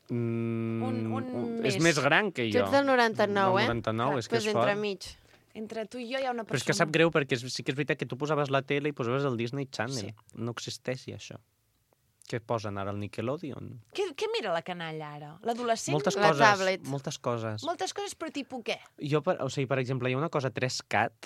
Mm, Un- un és més. més gran que Tu jo. ets del noranta-nou, Del eh? noranta-nou, Clar, és que pues és entre fort. mig. Entre tu i jo hi ha una Però és persona. que sap greu perquè és, sí que és veritat que tu posaves la tele i posaves el Disney Channel. Sí. No existeix això. Què posen ara, el Nickelodeon? Què, què mira la canalla ara? L'adolescent? Moltes La coses. tablet. Moltes coses. Moltes coses, però tipus què? Jo, per, o sigui, per exemple, hi ha una cosa tres cat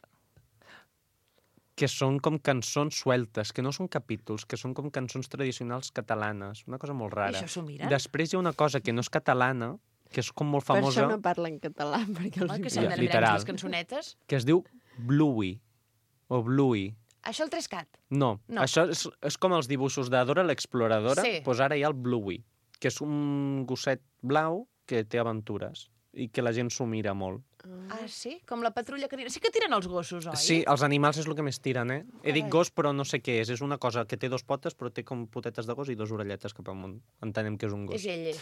que són com cançons sueltes, que no són capítols, que són com cançons tradicionals catalanes. Una cosa molt I rara. això s'ho miren? Després hi ha una cosa que no és catalana, que és com molt Per famosa, això no parla en català, perquè els Home, que hi s'han Ja, de mirar literal. les cançonetes. que es diu Bluey, o Bluey. Això el Trescat. No, No. això és, és com els dibuixos de Dora l'exploradora, Sí. doncs ara hi ha el Bluey, que és un gosset blau que té aventures i que la gent s'ho mira molt. Ah, sí? Com la patrulla canina. Sí que tiren els gossos, oi? Sí, els animals és el que més tiren, eh? He dit gos, però no sé què és. És una cosa que té dos potes, però té com potetes de gos i dos orelletes cap amunt. Entenem que és un gos. És ell.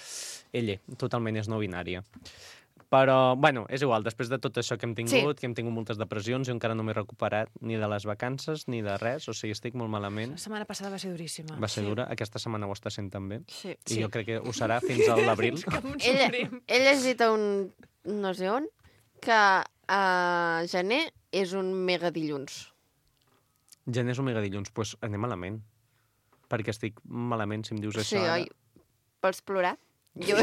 Ella, totalment és no binària. Però, bueno, és igual, després de tot això que hem tingut, Sí. que hem tingut moltes depressions, jo encara no m'he recuperat ni de les vacances ni de res, o sigui, estic molt malament. La setmana passada va ser duríssima. Va ser dura, aquesta setmana ho està sent també. Sí. I jo crec que ho serà fins a l'abril. Ella, he llegit a un... no sé on, que a gener és un mega dilluns. Gener és un megadilluns, doncs pues anem malament. Perquè estic malament, si em dius Sí, això ara. oi? Vols plorar? Jo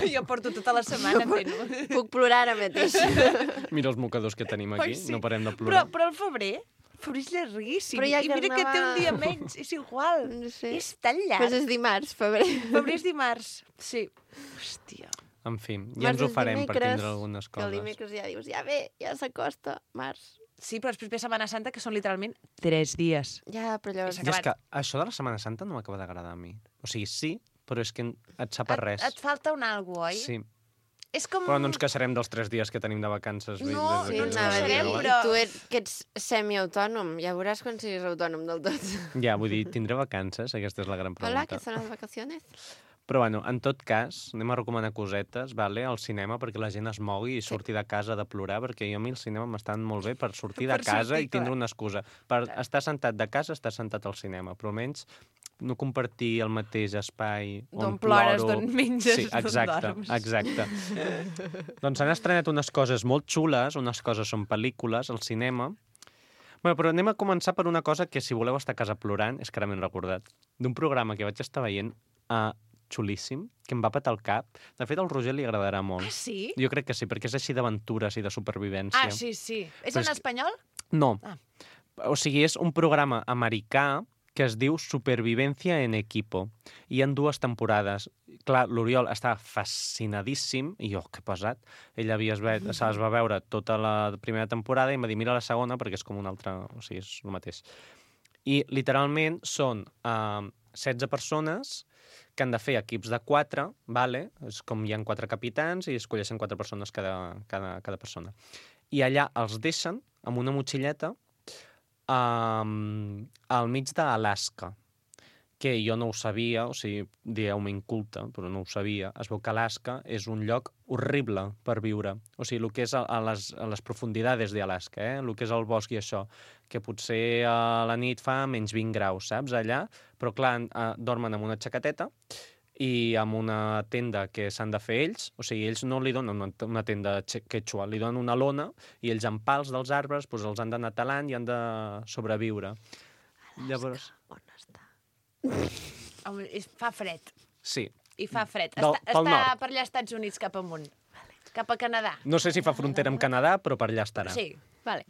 Jo porto tota la setmana fent-ho. puc plorar ara mateix. Mira els mocadors que tenim aquí, Ai, sí. no parem de Però, plorar. però el febrer, febrer és llarguíssim. Però hi ha I mira que té un carnaval. dia menys, és igual. No sé. És tan llarg. Pues és dimarts, febrer. Febrer és dimarts. Sí. Hòstia. En fi, ja Març ens ho és farem per dimecres, tindre algunes Que el coses. dimecres ja dius, ja ve, ja s'acosta, març. Sí, però després ve Setmana Santa, que són literalment tres dies. Ja, però llavors... És I és que això de la Setmana Santa no m'acaba d'agradar a mi. O sigui, sí, però és que et sap a res. Et, et falta un algo, oi? Sí, És com... però no ens queixarem dels tres dies que tenim de vacances. No, des Sí, que no ens vam anava a dir, queixarem, arribar. però- tu et, que ets semiautònom, ja veuràs quan siguis autònom del tot. Ja, vull dir, tindré vacances? Aquesta és la gran pregunta. Hola, que són les vacaciones? Però bueno, en tot cas, anem a recomanar cosetes, vale, al cinema, perquè la gent es mogui i surti de casa de plorar, perquè jo a mi el cinema m'estan molt bé per sortir de Per casa sortir, i tindre clar. una excusa. Per estar sentat de casa, estar sentat al cinema, però almenys no compartir el mateix espai D'on on plores, ploro. d'on menges, Sí, d'on exacte, dorms. exacte. Doncs s'han estrenat unes coses molt xules, unes coses són pel·lícules al cinema. Bueno, però anem a començar per una cosa que, si voleu estar a casa plorant, és que ara m'he recordat, d'un programa que vaig estar veient a xulíssim, que em va petar el cap. De fet, al Roger li agradarà molt. Ah, sí? Jo crec que sí, perquè és així d'aventures i de supervivència. Ah, sí, sí. És Però en és que- espanyol? No. Ah. O sigui, és un programa americà que es diu Supervivencia en Equipo. I hi ha dues temporades. Clar, l'Oriol està fascinadíssim, i jo, que pesat. Ell havia, se les va veure tota la primera temporada i em va dir, mira la segona, perquè és com una altra... O sigui, és el mateix. I, literalment, són uh, setze persones que han de fer equips de quatre, vale? És com hi ha quatre capitans i escolleixen quatre persones cada, cada, cada persona. I allà els deixen amb una motxilleta um, al mig d'Alaska, que jo no ho sabia, o sigui, dieu-me inculta, però no ho sabia. Es veu que Alaska és un lloc horrible per viure. O sigui, el que és a, a, les, a les profundidades d'Alaska, eh? El que és el bosc i això, que potser a la nit fa menys vint graus, saps, allà, però clar, eh, dormen amb una xaqueteta i amb una tenda que s'han de fer ells, o sigui, ells no li donen una, una tenda quechua, li donen una lona i ells amb pals dels arbres doncs, els han d'anar talant i han de sobreviure. Alaska, Llavors, on està? Home, és, fa fred. sí. I fa fred. Del- està pel està nord. per allà als Estats Units cap amunt. Cap a Canadà. No sé si fa frontera amb Canadà, però per allà estarà. Sí, vale.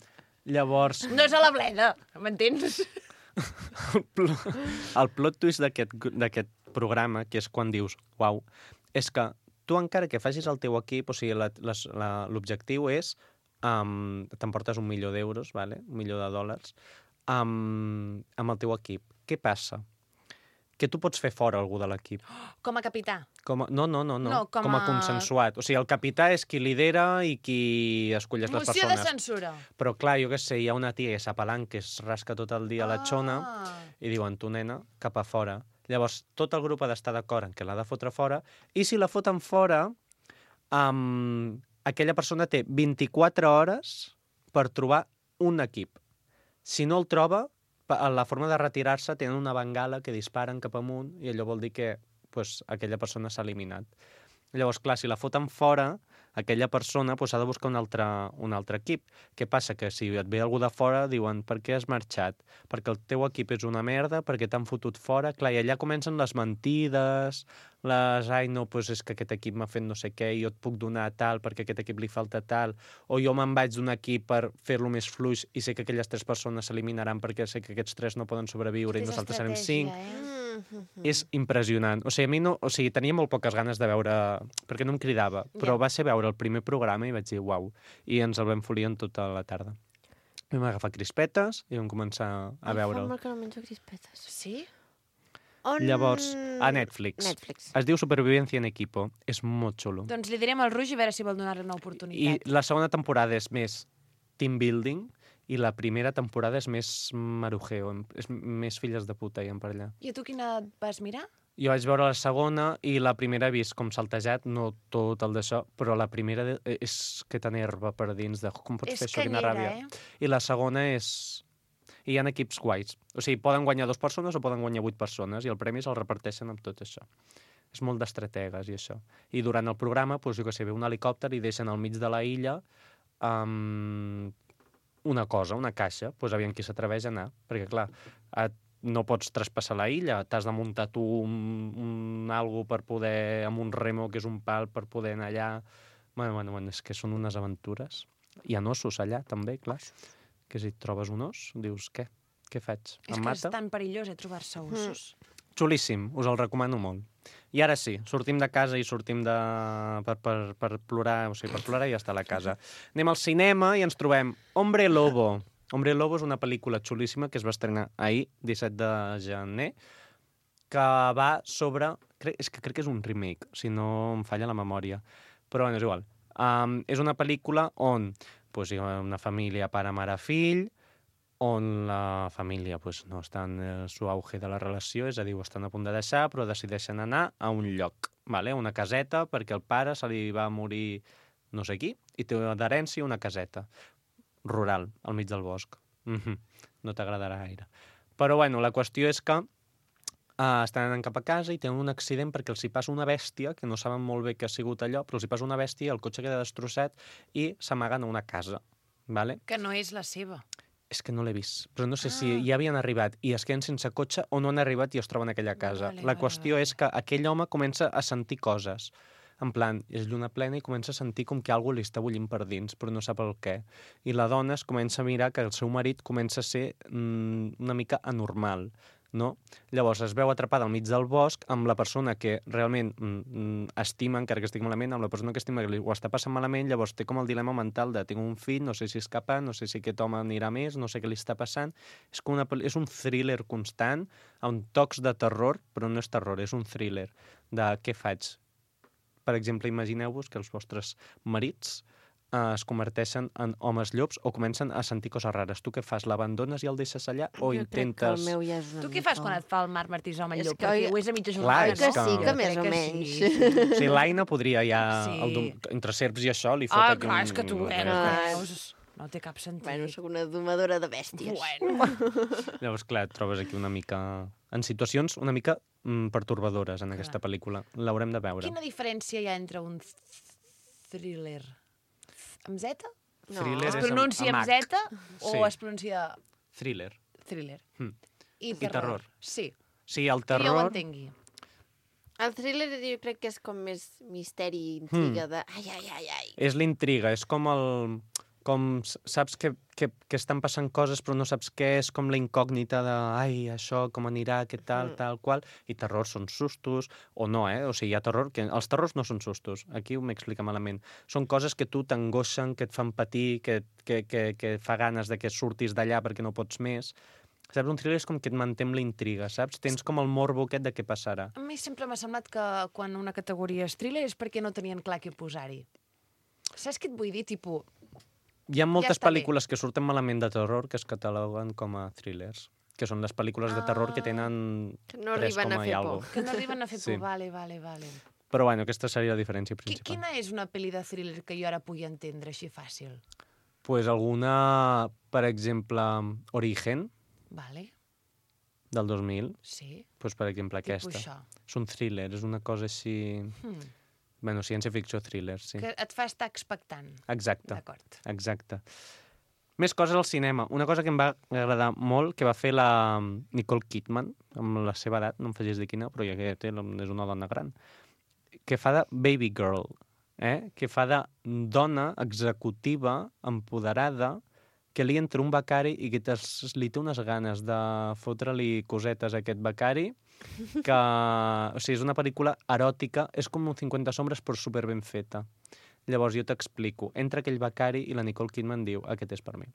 Llavors, No és a la bleda, m'entens? el plo- el plot twist d'aquest d'aquest programa, que és quan dius, uau, és que tu encara que facis el teu equip, o sigui, la- les- la- l'objectiu és, um, t'emportes un milió d'euros, vale? un milió de dòlars, um, amb el teu equip. Què passa? Que tu pots fer fora algú de l'equip. Com a capità. Com a... No, no, no, no. No, com com a a- consensuat. O sigui, el capità és qui lidera i qui escolleix les Moció de persones. censura. Però clar, jo què sé, hi ha una tia que s'apalant que es rasca tot el dia a la xona Ah. i diuen, tu nena, cap a fora. Llavors, tot el grup ha d'estar d'acord en que l'ha de fotre fora, i si la foten fora, um, aquella persona té vint-i-quatre hores per trobar un equip. Si no el troba, pa- la forma de retirar-se tenen una bengala que disparen cap amunt i allò vol dir que pues, aquella persona s'ha eliminat. Llavors, clar, si la foten fora, aquella persona pues, ha de buscar un altre, un altre equip. Què passa? Que si et ve algú de fora, diuen, per què has marxat? Perquè el teu equip és una merda, perquè t'han fotut fora. Clar, i allà comencen les mentides, les, ai, no, doncs és que aquest equip m'ha fet no sé què i jo et puc donar tal perquè a aquest equip li falta tal, o jo me'n vaig d'un equip per fer-lo més fluix i sé que aquelles tres persones s'eliminaran perquè sé que aquests tres no poden sobreviure i nosaltres serem cinc. Mm -hmm. És impressionant. O sigui, a mi no... O sigui, tenia molt poques ganes de veure... Perquè no em cridava. Però Ja. va ser veure el primer programa i vaig dir, uau. I ens el vam folir en tota la tarda. Vam agafar crispetes i vam començar a veure'l. Ai, fa molt que no menjo crispetes. Sí? On... Llavors, a Netflix. Netflix. Es diu Supervivencia en equipo. És molt xulo. Doncs li direm al Roig i a veure si vol donar-li una I oportunitat. la segona temporada és més team building i la primera temporada és més marujeo, és més filles de puta, i per allà. I a tu quina et vas mirar? Jo vaig veure la segona i la primera he vist com saltejat, no tot el d'això, però la primera de- és que t'enerva per dins de com pots És fer això, quina canyera, ràbia. eh? I la segona és... I hi ha equips guais. O sigui, poden guanyar dues persones o poden guanyar vuit persones i el premi se'l reparteixen amb tot això. És molt d'estrategues i això. I durant el programa, doncs, jo què sé, ve un helicòpter i deixen al mig de la illa um, una cosa, una caixa, doncs aviam qui s'atreveix a anar. Perquè, clar, et, no pots traspassar la illa, t'has de muntar tu un, un algo per poder, amb un remo, que és un pal, per poder anar allà. Bueno, bueno, bueno, és que són unes aventures. Hi ha ossos allà, també, clar. Que si et trobes un os, dius, què? Què faig? És Em que és mata? tan perillós, eh, trobar-se ossos. Xulíssim, us el recomano molt. I ara sí, sortim de casa i sortim de... per, per, per plorar, o sigui, per plorar i ja està a la casa. Anem al cinema i ens trobem Hombre Lobo. Hombre Lobo és una pel·lícula xulíssima que es va estrenar ahir, disset de gener, que va sobre... Crec, és que crec que és un remake, si no em falla la memòria. Però bueno, és igual. Um, és una pel·lícula on pues, hi ha una família pare, mare, fill, on la família pues, no està en el seu auge de la relació, és a dir, ho estan a punt de deixar, però decideixen anar a un lloc, vale? Una caseta, perquè el pare se li va morir no sé qui, i té d'herència una caseta rural, al mig del bosc. Mm-hmm. No t'agradarà gaire. Però, bueno, la qüestió és que uh, estan anant cap a casa i tenen un accident perquè els hi passa una bèstia, que no saben molt bé què ha sigut allò, però els hi passa una bèstia, el cotxe queda destrossat i s'amaguen a una casa, vale? Que no és la seva. És que no l'he vist, però no sé Ah. si ja havien arribat i es queden sense cotxe o no han arribat i es troben a aquella casa. Vale, la vale, qüestió vale. és que aquell home comença a sentir coses. En plan, és lluna plena i comença a sentir com que algú li està bullint per dins, però no sap el què. I la dona es comença a mirar que el seu marit comença a ser mm, una mica anormal, no? Llavors es veu atrapada al mig del bosc amb la persona que realment mm, estima, encara que estigui malament, amb la persona que estima que li ho està passant malament, llavors té com el dilema mental de tinc un fill, no sé si escapar, no sé si aquest home anirà més, no sé què li està passant. És, com una, pel- és un thriller constant, amb tocs de terror, però no és terror, és un thriller de què faig. Per exemple, imagineu-vos que els vostres marits eh, es converteixen en homes llops o comencen a sentir coses rares. Tu què fas? L'abandones i el deixes allà o Jo intentes... crec que el meu ja és una Tu què mica- fas quan et fa el Marc Martí home És llop? que Perquè oi- ho és a mitja Clar, jornada, és que que- sí, que Jo més crec o que menys. sí. O sigui, l'Aina podria ja... Sí. El dom... Entre serps i això li fot Ah, aquí clar, un... és que tu eh, Ah. veus... No té cap sentit. Bueno, sóc una domadora de bèsties. Bueno. Llavors, clar, et trobes aquí una mica... En situacions una mica mm, pertorbadores en aquesta Clar. pel·lícula. L'haurem de veure. Quina diferència hi ha entre un th- thriller amb Z? No. Thriller Es és amb- pronuncia amb amb H. Z o Sí. es pronuncia Thriller. thriller? Mm. I I terror. Sí, Sí, el que jo ho terror... entengui. El thriller jo crec que és com més misteri, intriga de... Ai, ai, ai, ai. És l'intriga, és com el... Com s- saps que, que, que estan passant coses però no saps què, és com la incògnita de ai, això, com anirà, què tal, Mm. tal, qual, i terror són sustos, o no, eh? O sigui, hi ha terror, que els terrors no són sustos, aquí ho m'explica malament. Són coses que tu t'angoixen, que et fan patir, que, que, que, que fa ganes de que surtis d'allà perquè no pots més. Saps, un thriller és com que et manté amb la intriga, saps? Tens com el morbo aquest de què passarà. A mi sempre m'ha semblat que quan una categoria és thriller és perquè no tenien clar què posar-hi. Saps què et vull dir? Tipus, Hi ha moltes està bé. pel·lícules que surten malament de terror que es cataloguen com a thrillers, que són les pel·lícules de terror que Ah. tenen Que no tres arriben a coma i fer algo. por. que no arriben a fer Sí. por. Vale, vale, vale. Però bueno, aquesta seria la diferència Qui, principal. quina és una pel·li de thriller que jo ara pugui entendre així fàcil? Pues alguna, per exemple, Origen, Vale, del dos mil, sí. pues per exemple Tipus aquesta. això. És un thriller, és una cosa així... Hmm. Bueno, ciència-ficció thriller, sí. Que et fa estar expectant. Exacte, D'acord. exacte. Més coses al cinema. Una cosa que em va agradar molt, que va fer la Nicole Kidman, amb la seva edat, no em facis dir quina, però ja que té, és una dona gran, que fa de baby girl, eh? Que fa de dona executiva, empoderada, que li entra un becari i que li té unes ganes de fotre-li cosetes a aquest becari, que o sigui, és una pel·lícula eròtica, és com un cinquanta sombres però super ben feta. Llavors jo t'explico. Entra aquell becari i la Nicole Kidman diu aquest és per mi.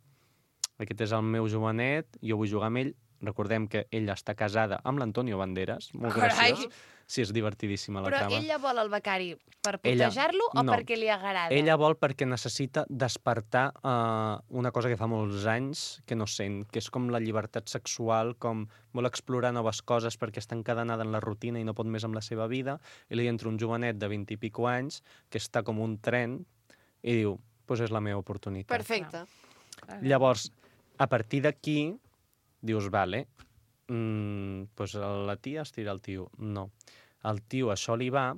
Aquest és el meu jovenet, jo vull jugar amb ell. Recordem que ella està casada amb l'Antonio Banderas. Molt Carai. graciós. Sí, és divertidíssima la Però trama. ella vol el becari per Ella- putejar-lo o no. perquè li agrada? Ella vol perquè necessita despertar uh, una cosa que fa molts anys que no sent, que és com la llibertat sexual, com vol explorar noves coses perquè està encadenada en la rutina i no pot més amb la seva vida, i li entra un jovenet de vint i pico anys que està com un tren i diu, pues és la meva oportunitat. Perfecte. Llavors, a partir d'aquí, dius, vale, mm, pues la tia es tira el tio. No. El tio això li va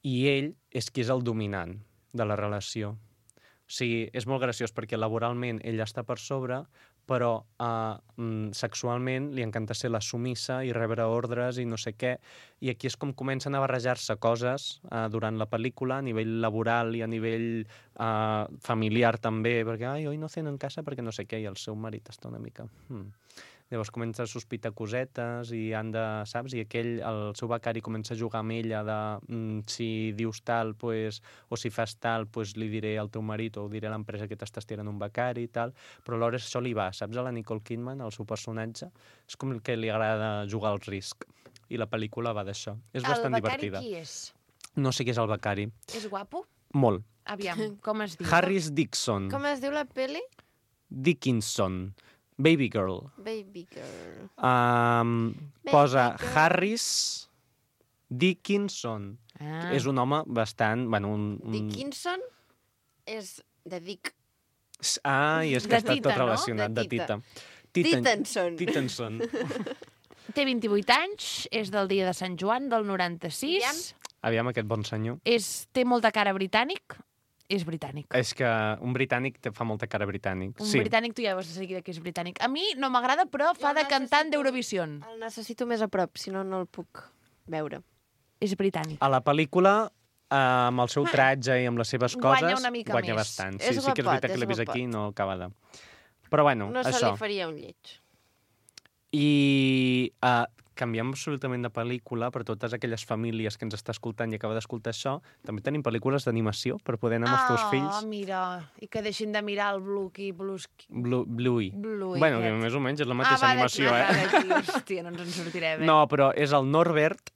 i ell és qui és el dominant de la relació. O sigui, és molt graciós perquè laboralment ella està per sobre, però uh, mm, sexualment li encanta ser la sumissa i rebre ordres i no sé què. I aquí és com comencen a barrejar-se coses uh, durant la pel·lícula, a nivell laboral i a nivell uh, familiar també, perquè ai, hoy no ceno en casa perquè no sé què, i el seu marit està una mica... Hmm. Llavors comença a sospitar cosetes i han de, saps? I aquell, el seu becari comença a jugar amb ella de mm, si dius tal, pues, o si fas tal, pues li diré al teu marit o ho diré a l'empresa que t'estàs tirant un becari i tal, però alhora això li va, saps? A la Nicole Kidman, el seu personatge, és com el que li agrada jugar al risc. I la pel·lícula va d'això. És bastant divertida. El becari qui és? No sé qui és el becari. És guapo? Molt. Aviam, com es diu? Harris Dixon. Com es diu la peli? Dickinson. Baby Girl. Baby Girl. Um, Baby posa girl. Harris Dickinson. Ah. És un home bastant... Bueno, un, un... Dickinson és de Dick. Ah, i és que De està Tita, tot no? relacionat, De de Tita. Tita. Tittenson. Tittenson. Té vint-i-vuit anys, és del dia de Sant Joan, del noranta-sis. Aviam. Aviam aquest bon senyor. És, té molta cara britànic. És britànic. És que un britànic te fa molta cara britànic. Un sí. britànic tu ja veus de seguida que és britànic. A mi no m'agrada, però fa Jo de cantant necessito- d'Eurovision. El necessito més a prop, si no, no el puc veure. És britànic. A la pel·lícula, eh, amb el seu tratge i amb les seves Guanya coses, una mica guanya més. bastant. És Sí, sí que és guapot, veritat que és l'he vist guapot. aquí i no acaba de... Però bueno, No se això. li faria un lleig. I uh, canviem absolutament de pel·lícula per totes aquelles famílies que ens està escoltant i acaba d'escoltar això. També tenim pel·lícules d'animació per poder anar amb els teus Ah, fills. mira. I que deixin de mirar el Bluey. Bluesky. Blue, Bluey. Bluey. Bueno, que aquest. més o menys és la mateixa ah, va, animació, d'aquí, eh? va, d'aquí. Hòstia, no ens en sortirem, eh? No, però és el Norbert.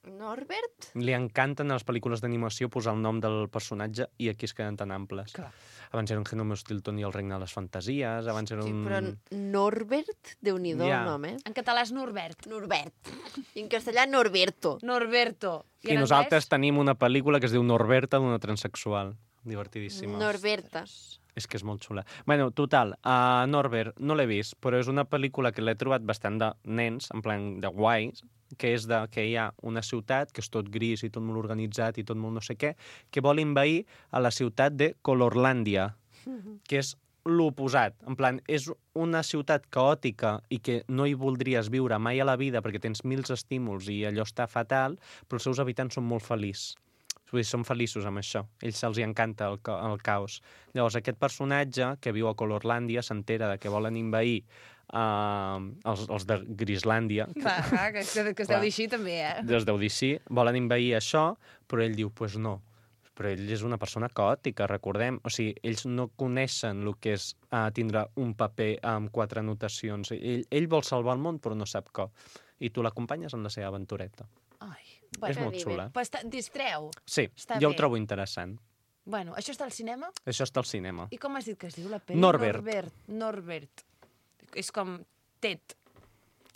Norbert? Li encanten a les pel·lícules d'animació posar el nom del personatge i aquí es queden tan amples. Clar. Abans era un Genome Stilton i el regne de les fantasies, abans era Sí, un... però Norbert, Déu-n'hi-do Ja. el nom, eh? En català és Norbert. Norbert. I en castellà, Norberto. Norberto. I en nosaltres anglès? tenim una pel·lícula que es diu Norberta, d'una transexual. Divertidíssima. Norberta. És que és molt xula. Bueno, total, uh, Norbert no l'he vist, però és una pel·lícula que l'he trobat bastant de nens, en plan de guais, que és de que hi ha una ciutat que és tot gris i tot molt organitzat i tot molt no sé què, que vol envair a la ciutat de Colorlàndia, que és l'oposat. En plan, és una ciutat caòtica i que no hi voldries viure mai a la vida perquè tens mils estímuls i allò està fatal, però els seus habitants són molt feliços. Vull dir, són feliços amb això. A ells se'ls encanta el, ca el caos. Llavors, aquest personatge que viu a Colorlàndia s'entera de que volen envair uh, els, els de Grislàndia, Va, va, que, que, que es deu dir així també, eh? es deu dir sí, volen envair això, però ell diu, pues no. Però ell és una persona caòtica, recordem. O sigui, ells no coneixen el que és uh, tindre un paper amb quatre anotacions. Ell, ell vol salvar el món, però no sap com. I tu l'acompanyes en la seva aventureta. Ai, És bueno, molt xula. però està, distreu. Sí, Està jo bé. ho trobo interessant. Bueno, això està al cinema? Això està al cinema. I com has dit que es diu la pel·li? Norbert. Norbert. Norbert. És com Tet.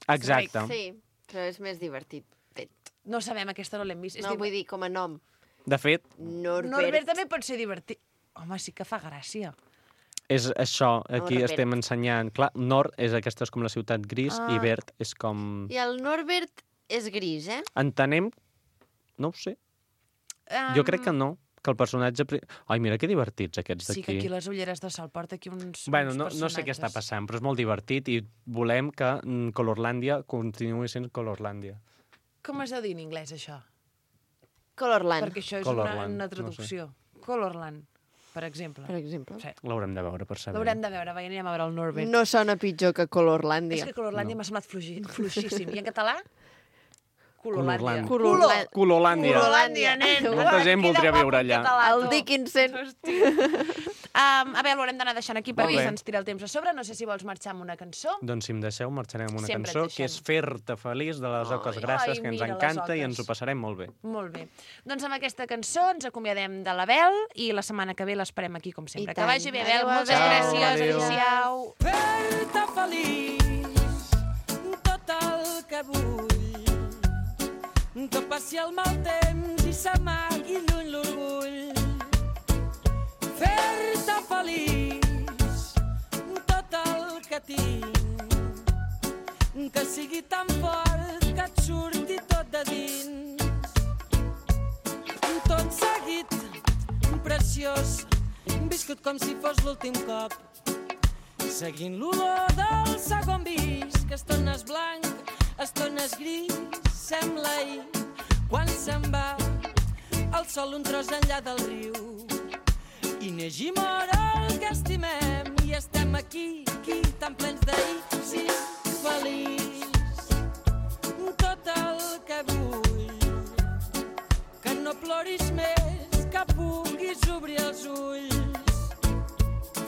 Exacte. Sí, però és més divertit. Tet. No sabem, aquesta no l'hem vist. És No, div- vull dir, com a nom. De fet, Norbert. Norbert també pot ser divertit. Home, sí que fa gràcia. és això, aquí Norbert. estem ensenyant. Clar, Nord és aquesta és com la ciutat gris Ah. i verd és com... I el Norbert és gris, eh? Entenem... No ho sé. Um, Jo crec que no, que el personatge... Ai, mira que divertits aquests d'aquí. Sí, que aquí les ulleres de sol porta aquí uns, bueno, uns no, no sé què està passant, però és molt divertit i volem que mm, Colorlàndia continuï sent Colorlàndia. Com es deu dir en anglès, això? Colorland. Perquè això és Colorland, una, una traducció. No sé. Colorland, per exemple. Per exemple. Sí. L'haurem de veure per saber. L'haurem de veure, va, anirem a veure el Norbert. No sona pitjor que Colorlàndia. És que Colorlàndia No. m'ha semblat fluixi, fluixíssim. I en català? Colorlàndia. Colorlàndia. Colorlàndia. Colorlàndia, nen. Molta gent voldria viure allà. El Dickinson. Um, a veure, l'haurem d'anar deixant aquí perquè Molt bé. se'ns tira el temps a sobre. No sé si vols marxar amb una cançó. Doncs si em deixeu, marxarem amb una Sempre et cançó deixem. que és Fer-te feliç de les Oques Ai, Grasses, ai, que ens mira, les encanta i oques. ens ho passarem molt bé. Molt bé. doncs amb aquesta cançó ens acomiadem de l'Abel i la setmana que ve l'esperem aquí, com sempre. I Que tant. vagi bé, Abel. Adéu, Moltes Abel. gràcies. Adéu. Adéu-siau. Fer-te feliç tot el que vull, que passi el mal temps i s'amagui lluny l'orgull. Fer-te feliç tot el que tinc, que sigui tan fort que et surti tot de dins. Tot seguit, preciós, viscut com si fos l'últim cop, seguint l'olor del segon vis, que estones blanc, estones gris, sembla ahir, quan se'n va el sol un tros enllà del riu. I neix i mor el que estimem, i estem aquí, aquí, tan plens d'ahir, sí, feliç. Tot el que vull, que no ploris més, que puguis obrir els ulls,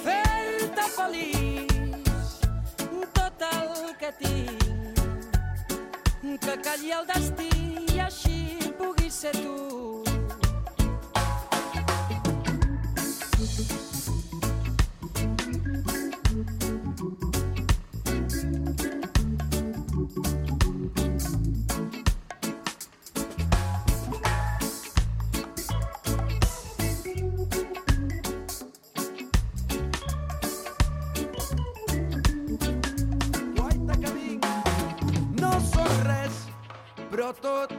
fer-te feliç, tot el que tinc, que calli el destí i així puguis ser tu. Guaita que vinc, no sóc res, però tot,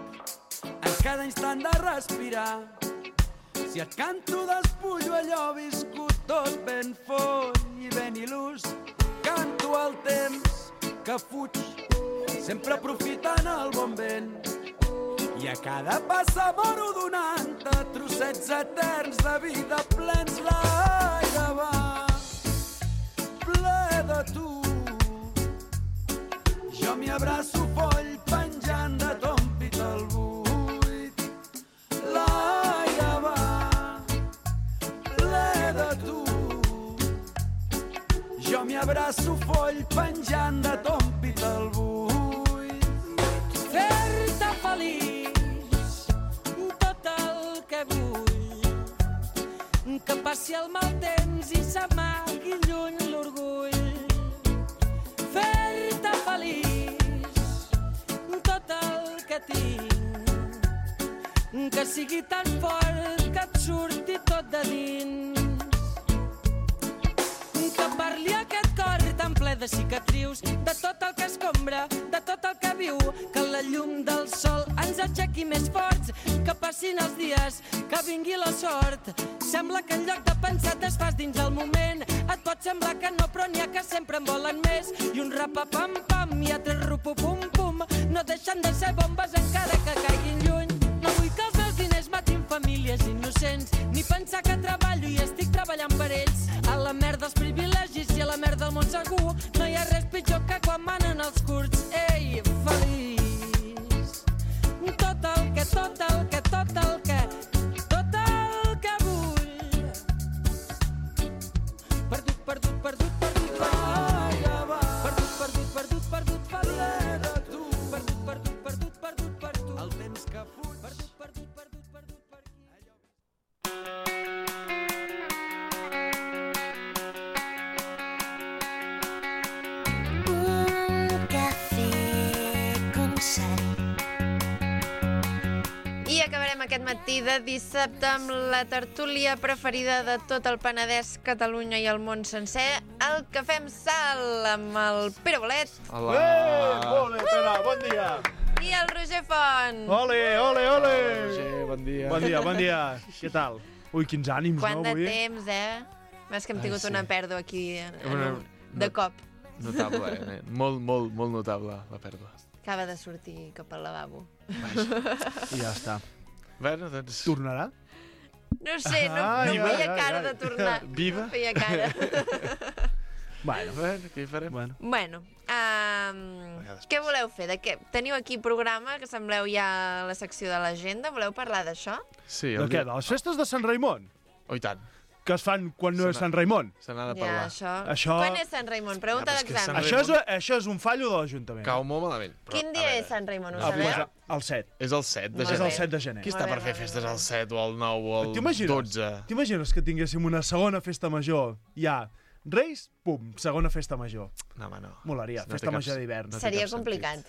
en cada instant de respirar. Si et canto despullo allò viscut tot ben font i ben il·lús, canto el temps que fuig, sempre aprofitant el bon vent. I a cada passa moro donant-te trossets eterns de vida plens. L'aire va ple de tu, jo m'hi abraço foll penjant de ton pit al buit. L'aire va ple de tu, jo m'hi abraço foll penjant de ton pit al buit. Fer-te feliç, tot el que vull, que passi el mal temps i s'amagui lluny l'orgull. Fer-te feliç, tot el que tinc, que sigui tan fort que et surti tot de dins. Que parli aquest cor tan ple de cicatrius, de tot el que escombra, de tot el que viu, que la llum del sol ens aixequi més forts, que passin els dies, que vingui la sort. Sembla que en lloc de pensar te'n fas dins el moment, et pot semblar que no, però n'hi ha que sempre en volen més. I un rapapam-pam i altres rupupum-pum no deixen de ser bombes encara que caiguin lluny. No vull que els meus diners matin famílies innocents, ni pensar que treballo i estic treballant per ells. A la merda els privilegis i a la merda el món segur, no hi ha res pitjor que quan manen els curts. Ei, feliç, tot el que, tot el que, tot el que, tot el que vull. Perdut, perdut, perdut, perdut, perdut, perdut, perdut, perdut, perdut, feliç de tu. Perdut, perdut, perdut, perdut, perdut, El temps que fuig, perdut, perdut, perdut, perdut, per aquí. Un cafè con sal. I acabarem aquest matí de dissabte amb la tertúlia preferida de tot el Penedès, Catalunya i el món sencer, el Cafè amb Sal, amb el Pere Bolet Hola. Eh, ole, Pere, bon dia. i el Roger Font. Ole, ole, ole. Sí, bon dia. Bon dia, bon dia. Què tal? Ui, quins ànims, Quant no, de avui? temps, eh? Més que hem Ai, tingut sí. una pèrdua aquí en, en Una- un, de no- cop. Notable, eh? Molt, molt, molt notable, la pèrdua. Acaba de sortir cap al lavabo. I ja està. Bueno, doncs... Tornarà? No sé, no, Ai, no ai, feia ai, cara ai. de tornar. Viva? No feia cara. Bueno, Bueno, què hi farem? bueno. Bueno, um, què voleu fer? De què? Teniu aquí programa, que sembleu ja a la secció de l'agenda. Voleu parlar d'això? Sí, De el què? dia... De les festes de Sant Raimon? Oh, i tant. Que es fan quan no Se és n'ha- Sant Raimon? Se n'ha de Ja, parlar. això... Això- Quan és Sant Raimon? Pregunta Ah, però és que d'examen. Sant Això és, això és un fallo de l'Ajuntament. Cau molt malament. Però, Quin a dia veure, és Sant Raimon, ho Ah, sabeu? pues, el set. És el set de Molt És gener. el set de gener. Qui està Molt per bé, fer molt bé, festes molt al set o al nou o al T'imagines? dotze? T'imagines que tinguéssim una segona festa major? Ja, Reis, pum, segona festa major. No, home, no. Molaria, No té festa cap- major d'hivern. no té Seria cap sentit. complicat.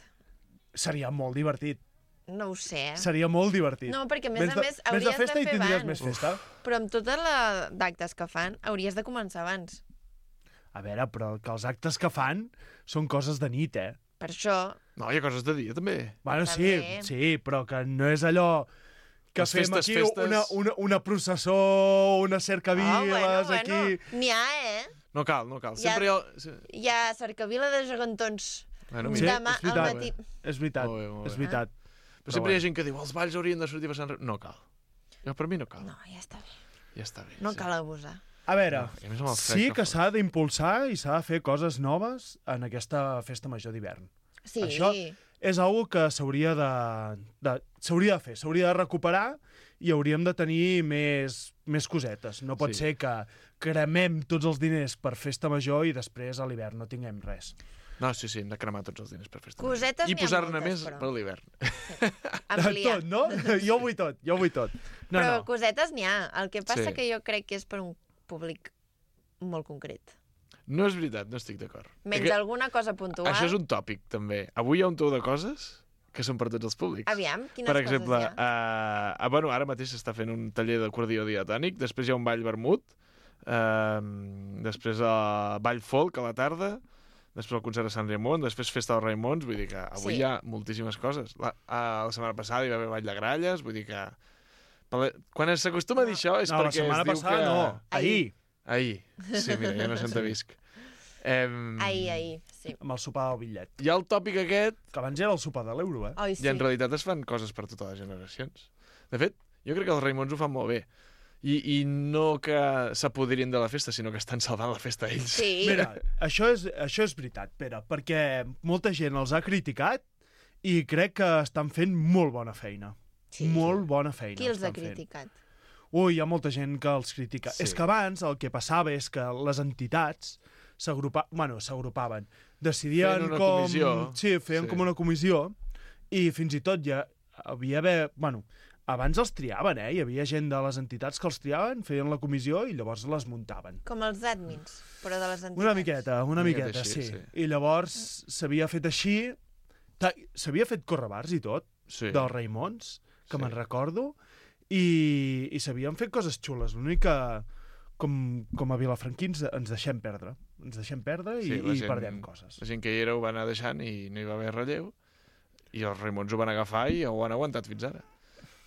Seria molt divertit. No ho sé. eh? Seria molt divertit. No, perquè a més Vés a de- més vés hauries de de festa i fer tindries abans. més festa. Però amb tota la d'actes que fan, hauries de començar abans. A veure, però que els actes que fan són coses de nit, eh? Per això... No, hi ha coses de dia, també. Bueno, sí, També. sí, però que no és allò que Les fem festes, aquí festes. Una, una, una processó, una cercaviles, Oh, bueno, aquí... bueno. N'hi ha, eh? No cal, no cal. Ja- Sempre hi ha... sí. Hi ha cercavila de gegantons. Bueno, Sí, mira, Demà és veritat. al matí. És veritat, Molt bé, molt bé. és veritat. però sempre hi ha gent que diu els balls haurien de sortir per Sant Raimon. No cal. Jo, per mi no cal. No, ja està bé. Ja està bé. No sí. cal abusar. A veure, No, i a més amb el fred sí que que fa. s'ha d'impulsar i s'ha de fer coses noves en aquesta festa major d'hivern. Sí. Això és algo que s'hauria de, de, s'hauria de fer, s'hauria de recuperar i hauríem de tenir més, més cosetes. No pot Sí. ser que cremem tots els diners per festa major i després a l'hivern no tinguem res. No, sí, sí, hem de cremar tots els diners per festa. Cosetes I n'hi ha posar-ne moltes, més però. per l'hivern. Ampliar. Tot, no? Jo vull tot, jo vull tot. No, Però no. cosetes n'hi ha. El que passa Sí. que jo crec que és per un públic molt concret. No és veritat, no estic d'acord. Menys Perquè alguna cosa puntual. Això és un tòpic, també. Avui hi ha un tou de coses que són per tots els públics. Aviam, quines Per exemple, coses hi ha? uh, uh, bueno, ara mateix s'està fent un taller d'acordió diatònic, després hi ha un ball vermut, uh, després uh, ball folk a la tarda, després el concert de Sant Raimon, després festa dels Raimons, vull dir que avui Sí. hi ha moltíssimes coses. La, uh, la setmana passada hi va haver ball de gralles, vull dir que... Quan s'acostuma a dir això és No, la perquè setmana es diu passada que... no, ahir, Ahir. Sí, mira, ja no s'entevisc. Um, Ahir, ahir, sí. amb el sopar del bitllet. Hi ha el tòpic aquest, Que abans era el sopar de l'euro, eh? Oi, i sí. en realitat es fan coses per totes les generacions. De fet, jo crec que els Raimons ho fan molt bé. I, i no que s'apoderin de la festa, sinó que estan salvant la festa ells. Sí. Mira, això és, això és veritat, Pere, perquè molta gent els ha criticat i crec que estan fent molt bona feina. Sí. Molt bona feina. Qui els ha estan fent. criticat? Ui, hi ha molta gent que els critica. Sí. És que abans el que passava és que les entitats s'agrupa... bueno, s'agrupaven. Decidien Feien una com... comissió. Sí, feien Sí. com una comissió i fins i tot ja havia haver... Bueno, abans els triaven, eh? Hi havia gent de les entitats que els triaven, feien la comissió i llavors les muntaven. Com els admins, però de les entitats. Una miqueta, una Una miqueta miqueta, així, sí. sí. I llavors s'havia fet així... Ta- S'havia fet correbars i tot, Sí. dels Raimons, que Sí. me'n recordo, i, i s'havien fet coses xules. L'únic que, com, com a vilafranquins, ens deixem perdre. Ens deixem perdre i, Sí, la i gent- perdem coses. La gent que hi era ho va anar deixant i no hi va haver relleu, i els Raimons ho van agafar i ho han aguantat fins ara.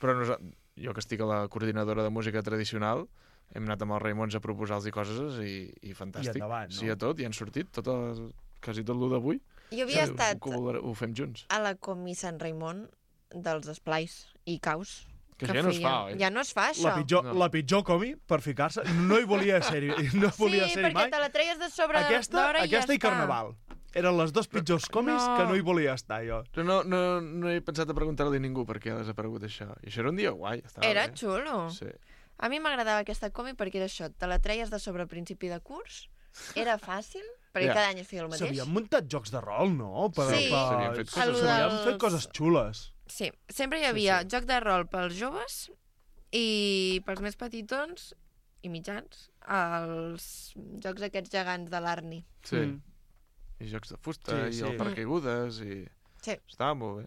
Però nosa- jo que estic a la coordinadora de música tradicional, hem anat amb els Raimons a proposar-los coses i, i fantàstic. I endavant, no? Sí, a tot, i han sortit, tot el, quasi tot l'u d'avui. Jo havia Sí, estat Ho, ho, ho fem junts. a la Comi Sant Raimon dels esplais i caus. Que ja no es fa, oi? Ja no es fa, això. La pitjor, No. la pitjor comi, per ficar-se, no hi volia ser-hi no volia sí, ser-hi perquè mai. te la treies de sobre Aquesta, d'hora i aquesta ja i Carnaval. Eren les dos pitjors comis No. que no hi volia estar, jo. Però no, no, no he pensat a preguntar-li a ningú per què ha desaparegut això. I això era un dia guai. Estava Era bé. xulo. Sí. A mi m'agradava aquesta comi perquè era això, te la treies de sobre a principi de curs, era fàcil, perquè Ja. cada any es feia el mateix. S'havien muntat jocs de rol, no? Per, Sí. per... S'havien fet coses S'havien xules. fet coses xules. Sí, sempre hi havia joc de rol pels joves i pels més petitons i mitjans, els jocs aquests gegants de l'Arni. Sí. Mm. I jocs de fusta, Sí, i sí. el paracaigudes, i... Sí. Estava molt bé.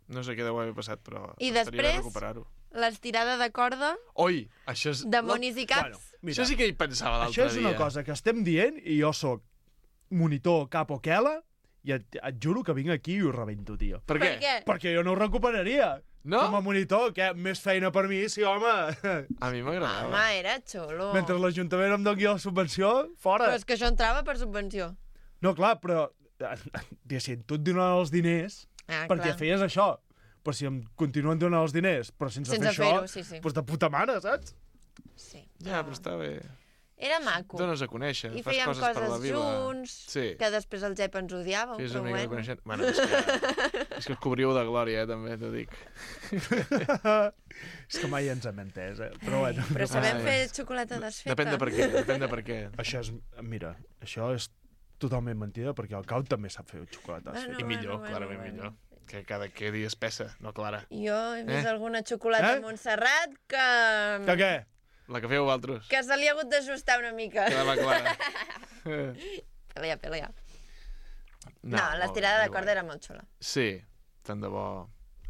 No sé què deu haver passat, però I estaria bé després- recuperar-ho. L'estirada de corda Oi, això és... de monis i caps. Bueno, mira, Això sí que hi pensava l'altre això dia. és una cosa que estem dient i jo sóc monitor cap o quela i et, et juro que vinc aquí i ho rebento, tio. Per què? Per què? Perquè jo no ho recuperaria. No? Com a monitor, què? Més feina per mi, sí, home. A mi m'agradava. Home, era xulo. Mentre l'Ajuntament em doni la subvenció, fora. Però és que això entrava per subvenció. No, clar, però... Diguéssim, tu et donen els diners Ah, perquè clar. feies això. Però si em continuen donant els diners, però sense, Sense fer això, fer-ho, sí, sí. doncs de puta mare, saps? Sí. Ja, però està bé. Era maco. Dones a conèixer, I fas fèiem coses, per la coses vida. junts, Sí. que després el Jep ens odiava. Fes però una mica de bueno. coneixent. Bueno, és que, és que us cobriu de glòria, eh, també, t'ho dic. És que mai ens hem entès, eh? Però bueno. Però sabem Ai. fer xocolata desfeta. Depèn de per què, depèn de per què. Això és... Mira, això és totalment mentida, perquè el Cau també sap fer xocolates. Bueno, I millor, bueno, clarament bueno. millor. Que cada quedi espessa, no clara. Jo he vist Eh? alguna xocolata Eh? a Montserrat que... Que què? La que feu vosaltres. que se li ha hagut d'ajustar una mica. Quedava clara. Pelea, pelea. No, No, molt l'estirada bé, de corda era molt xula. Sí, tant de bo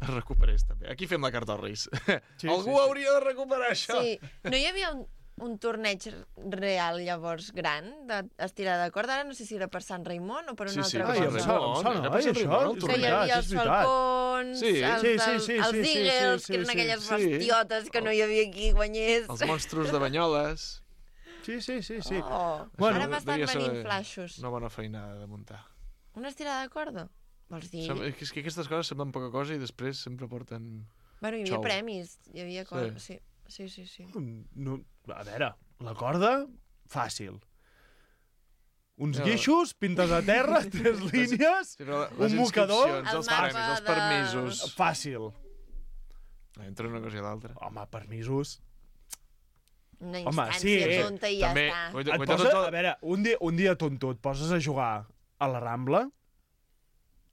es recuperés també. Aquí fem la carta als Reis. Sí, Algú sí, sí. hauria de recuperar això. Sí, no hi havia un, un torneig real llavors gran d'estirada de corda? Ara no sé si era per Sant Raimon o per una Sí, sí, altra Ai, per em cosa. Sant sona, em Raimon, sona, era per ai, Sant això, Raimon, el és Que hi torneig. havia és els veritat. falcons, Sí. els, Sí, sí, els, sí, els sí, sí, eagles, sí, que eren sí, aquelles sí. bestiotes que no hi havia qui guanyés. Els monstres de Banyoles. Sí, sí, sí, sí. Oh, Bueno, ara m'estan devia ser venint flaixos. Una bona feinada de muntar. Una estirada de corda? Vols dir? Sem- És que aquestes coses semblen poca cosa i després sempre porten... Bueno, hi havia xou. premis, hi havia coses... Sí, sí, sí. sí. No, a veure, la corda, fàcil. Uns No. guixos, pintes a terra, tres línies, Sí, però un les mocador, inscripcions, El els mapa premis, els de- permisos... fàcil. Entre una cosa i l'altra. Home, permisos. Una Home, instància sí, eh, tonta i ja També, està. guaita, Et guaita posa, tot a el... veure, un dia, un dia tonto, et poses a jugar a la Rambla,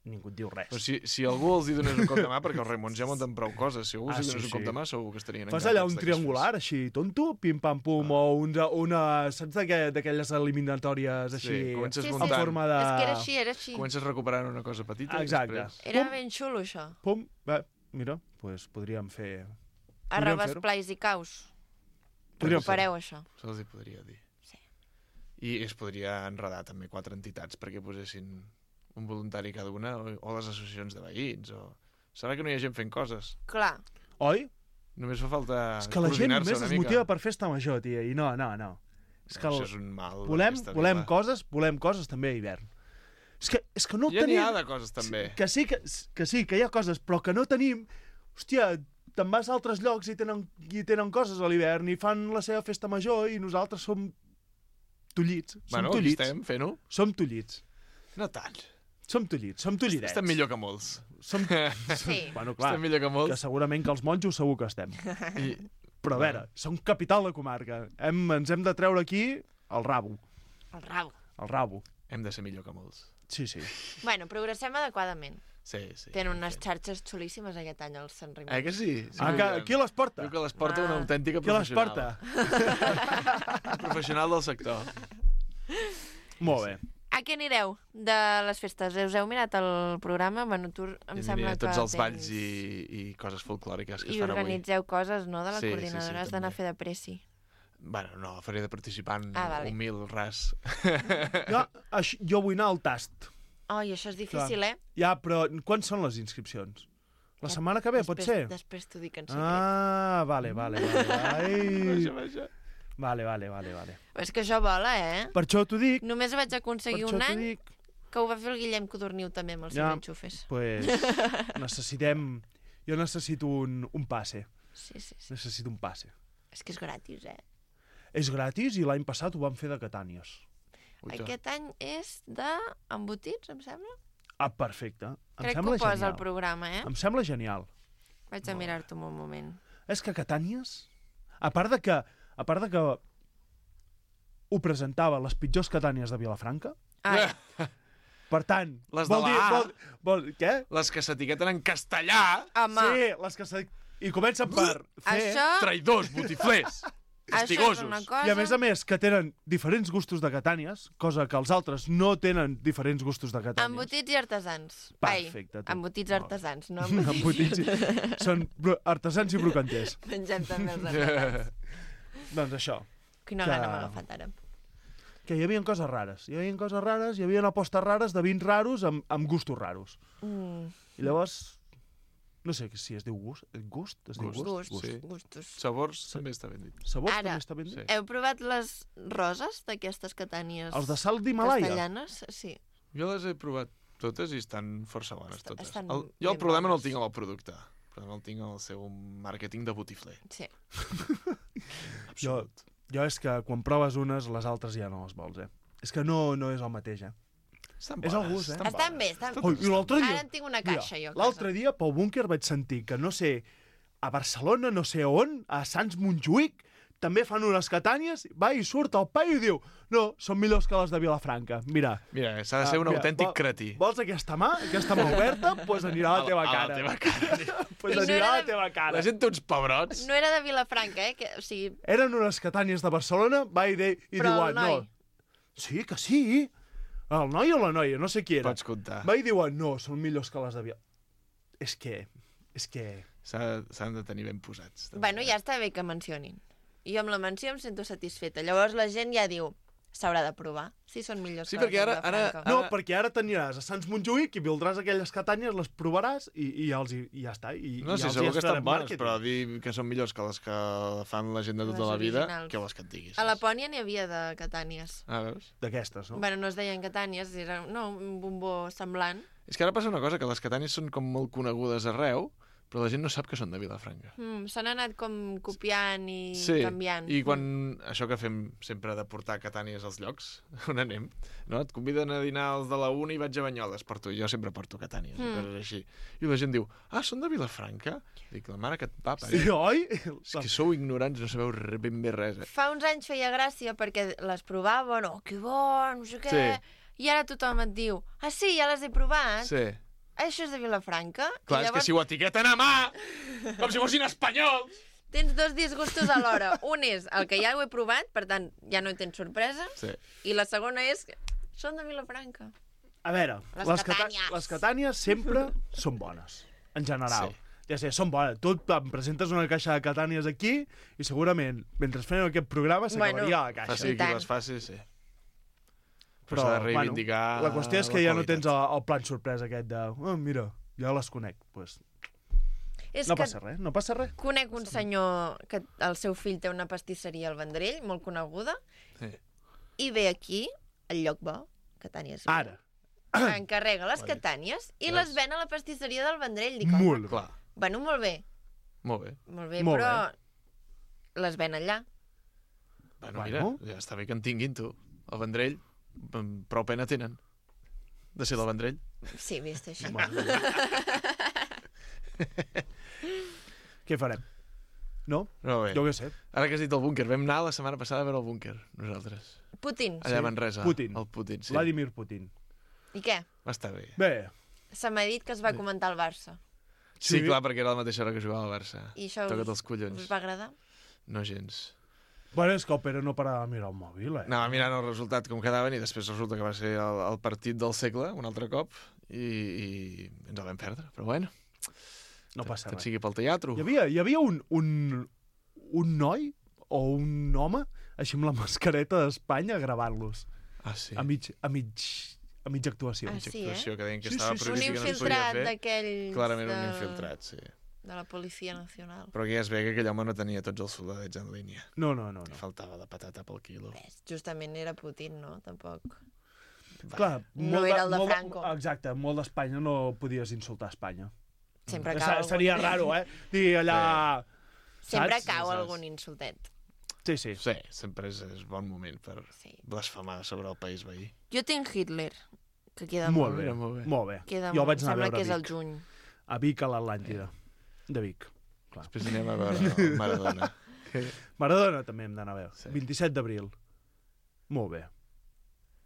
ningú et diu res. Però si, si algú els hi donés un cop de mà, perquè els Raimons ja munten prou coses, si algú els Ah, hi sí, donés un sí. cop de mà, segur que estarien Fas allà un de que es triangular, així, tonto, pim-pam-pum, o una, una saps d'aqu- d'aquelles eliminatòries així, Sí, comences Sí, sí. en muntant. forma de... És que era així, era així. fes. Comences recuperant una cosa petita Exacte. i després... Era Pum. ben xulo, això. Pum, va, mira, doncs podríem fer... Arrabas, fer-ho. plais i caus. Podríem fer Recupereu això. Se'ls hi podria dir. Sí. I es podria enredar també quatre entitats perquè posessin un voluntari cada una, o, o les associacions de veïns, o... Serà que no hi ha gent fent coses? Clar. Oi? Només fa falta És que la gent coordinar-se només una es mica. motiva per festa major, tia, i no, no, no. És que Això el... és un mal. de volem, festa volem vila. coses, volem coses també a hivern. És que, és que no Ja n'hi tenim... ha de coses també. Que sí que, que sí, que hi ha coses, però que no tenim... Hòstia, te'n vas a altres llocs i tenen, i tenen coses a l'hivern i fan la seva festa major i nosaltres som tullits. Som Bueno, aquí tullits. estem fent-ho. Som tullits. No tant. Som tullits, som tullidets. Estem millor que molts. Som... Sí. Bueno, clar, Estem millor que que molts. segurament que els monjos segur que estem. I... Però a veure, som capital de comarca. Hem, ens hem de treure aquí el rabo. El rabo. El rabo. Hem de ser millor que molts. Sí, sí. Bueno, progressem adequadament. Sí, sí. Tenen unes xarxes xulíssimes aquest any al Sant Raimon. Eh que sí? sí Ah, que, qui les porta? Diu que les porta Ah. una autèntica Qui les professional. porta? Un professional del sector. Molt bé. A què anireu de les festes? Us heu mirat el programa? Bueno, tu em I sembla aniré a tots que els tens... balls i, i coses folclòriques que I es fan avui. organitzeu coses, no?, de la Sí, sí, sí, coordinadora. Has d'anar a també. fer de pressi. Bueno, no, faré de participant Ah, vale. humil, ras. Jo, això, jo vull anar al tast. Oi, això és difícil, eh? Ja, però quan són les inscripcions? La setmana que ve, pot Després- ser? Després t'ho dic en secret. Ah, vale, vale, vale. Ai. Vaja, vaja. Vale, vale, vale, vale. Però és que això vola, eh? Per això t'ho dic, Només vaig per aconseguir això un t'ho any dic. que ho va fer el Guillem Codorniu també amb els Ja. seus enxufes. Pues necessitem... Jo necessito un, un passe. Sí, sí, sí. Necessito un passe. És que és gratis, eh? És gratis i l'any passat ho vam fer de Catànies. Uita. Aquest any és de embotits, em sembla? Ah, perfecte. Em Crec que sembla ho posa genial. al programa, eh? Em sembla genial. Vaig a mirar-t'ho un moment. És que Catànies, a part de que, a part de que ho presentava les pitjors Catànies de Vilafranca, Ah, ja. per tant... Les de vol dir, la A. vol, vol, què? Les que s'etiqueten en castellà, Home, Sí, les que se... I comencen per fer... això, traïdors, botiflers, això és castigosos. una cosa... I a més a més que tenen diferents gustos de Catànies, cosa que els altres no tenen diferents gustos de Catànies. Embotits i artesans. Perfecte, Ai, tu. embotits Molt bé. artesans, no Embotits. embotits. i- Són bro- artesans i brocanters. Mengem també els artesans. Doncs això, Quina Que- gana m'ha agafat ara. que hi havia coses rares. Hi havia coses rares, hi havia apostes rares de vins raros amb, amb gustos raros. Mm. I llavors, No sé si es diu gust. Gust? Es diu Gust, gust? Gust, sí. gustos. Sabors també està ben dit. Sabors Ara, també està ben dit? Sí. Heu provat les roses d'aquestes catànies Els de sal d'Himalaya? castellanes? Sí. Jo les he provat totes i estan força bones Est- totes. estan El, jo el ben problema no bones. el tinc amb el producte. El problema el tinc amb el seu màrqueting de botifler. Sí. Jo, jo és que quan proves unes, les altres ja no les vols, eh? És que no, no és el mateix, eh? Estan És el bones, gust, eh? Estan bé, estan Ui, i l'altre dia... Ara en tinc una caixa, Mira, jo. a l'altre casa. dia, pel búnquer, vaig sentir que, no sé, a Barcelona, no sé on, a Sants Montjuïc, també fan unes catànies, va i surt el paio i diu no, són millors que les de Vilafranca. Mira, Mira, s'ha de ser Ah, un mira, autèntic vol- cretí. vols aquesta mà? Aquesta mà oberta? Doncs pues anirà a la teva A la cara. teva cara. Pues I no anirà era a la de- teva cara. La gent té uns pebrots. No era de Vilafranca, eh? Que, o sigui, Eren unes catànies de Barcelona, va i, de, i Però diuen, el noi? no. Sí, que sí. El noi o la noia, no sé qui era. Pots comptar. Va i diuen, no, són millors que les de Via... És que... És que... S'ha- S'han de tenir ben posats. també. bueno, ja està bé que mencionin. I jo amb la menció em sento satisfeta. Llavors la gent ja diu, s'haurà de provar, si són millors Sí, que perquè les de ara- ara- Vilafranca. No, perquè ara t'aniràs a Sants Montjuïc i vildràs aquelles catànies, les provaràs i, i, els, hi- i ja està. I, No, i sí, els segur hi que estan farem bones, màrqueting. però dir que són millors que les que fan la gent de tota Les la vida, originals. que vols que et diguis. A la Pònia n'hi havia de catànies. Ah, veus? D'aquestes, no? Bueno, no es deien catànies, era no, un bombó semblant. És que ara passa una cosa, que les catànies són com molt conegudes arreu, però la gent no sap que són de Vilafranca. Mm, S'han anat com copiant i Sí, canviant. i quan... Això que fem sempre de portar catànies als llocs, on anem, no? Et conviden a dinar els de la una i vaig a Banyoles per tu. Jo sempre porto catànies, Mm. mm. coses així. I la gent diu, ah, són de Vilafranca? Dic, la mare que et va parir. Sí, oi? És que sou ignorants, no sabeu re- ben bé res, eh? Fa uns anys feia gràcia perquè les provaven, oh, que bo, no sé què... Sí. I ara tothom et diu, ah, sí, ja les he provat. Sí. Això és de Vilafranca. Clar, I és que si ho etiqueten a mà, com si fossin espanyols! Tens dos disgustos alhora. Un és el que ja ho he provat, per tant, ja no hi tens sorpresa. Sí. I la segona és que són de Vilafranca. A veure, Les les, cata catànies. les catànies sempre són bones, en general. Sí. Ja sé, són bones. Tu em presentes una caixa de catànies aquí i segurament, mentre fem aquest programa, s'acabaria Bueno, la caixa. Faci I tant. qui les faci, sí. Però, s'ha de reivindicar bueno, la qüestió és que la ja no qualitat. tens el, el plan sorpresa aquest de oh, mira, ja les conec. Pues, És no que passa res, no passa res. conec un senyor que el seu fill té una pastisseria al Vendrell, molt coneguda, Sí. i ve aquí, al lloc bo, Catànies. Ara. Encarrega les catànies i les ven a la pastisseria del Vendrell. Dic, Molt bé. Clar, bueno, molt bé, molt bé. molt bé, Molt però les ven allà. Bueno, Bueno. mira, ja està bé que en tinguin, tu. El Vendrell, mm, prou pena tenen. De ser del Vendrell. Sí, vist així. Què farem? No? No, bé. Jo què sé. Ara que has dit el búnquer, vam anar la setmana passada a veure el búnquer, nosaltres. Putin. Allà a Manresa. Putin. El Putin, sí. Vladimir Putin. I què? Va estar bé. Bé, Se m'ha dit que es va comentar el Barça. Sí, Sí. clar, perquè era la mateixa hora que jugava al Barça. I això Toca't us, els collons. us va agradar? No gens. bueno, és que el Pere no parava de mirar el mòbil, eh? Anava mirant el resultat com quedaven i després resulta que va ser el, el partit del segle, un altre cop, i, i ens el vam perdre. Però bueno, No passa tant res. sigui pel teatre. Hi havia, hi havia un, un, un noi o un home així amb la mascareta d'Espanya gravant-los Ah, sí. a, mig, a, mig, a mitja actuació. Ah, Mitja sí, eh? actuació que deien que Sí, estava sí, sí. Un previst i que no es podia infiltrat fer. d'aquells Clarament un de, infiltrat, sí. de la Policia Nacional. Però aquí ja es ve que aquell home no tenia tots els soldadets en línia. No, no, no. Li no. faltava de patata pel quilo. Ves, justament era Putin, no? Tampoc. Clar, No molt era el de molt Franco. Exacte, molt d'Espanya no podies insultar Espanya. Sempre Se- cau algun... Seria raro, eh? Dir allà... Sempre saps? cau Saps? algun insultet. Sí, sí. Sí, sempre és, és bon moment per Sí. blasfemar sobre el país veí. Jo tinc Hitler, que queda Molt molt. bé, Mira, molt bé. molt bé. Queda Jo molt. vaig anar a Sembla veure que és a el Vic. juny. A Vic, a l'Atlàntida. De Vic. Clar. Després anem a veure el Maradona. Maradona també hem d'anar a veure. Sí. vint-i-set d'abril. Molt bé.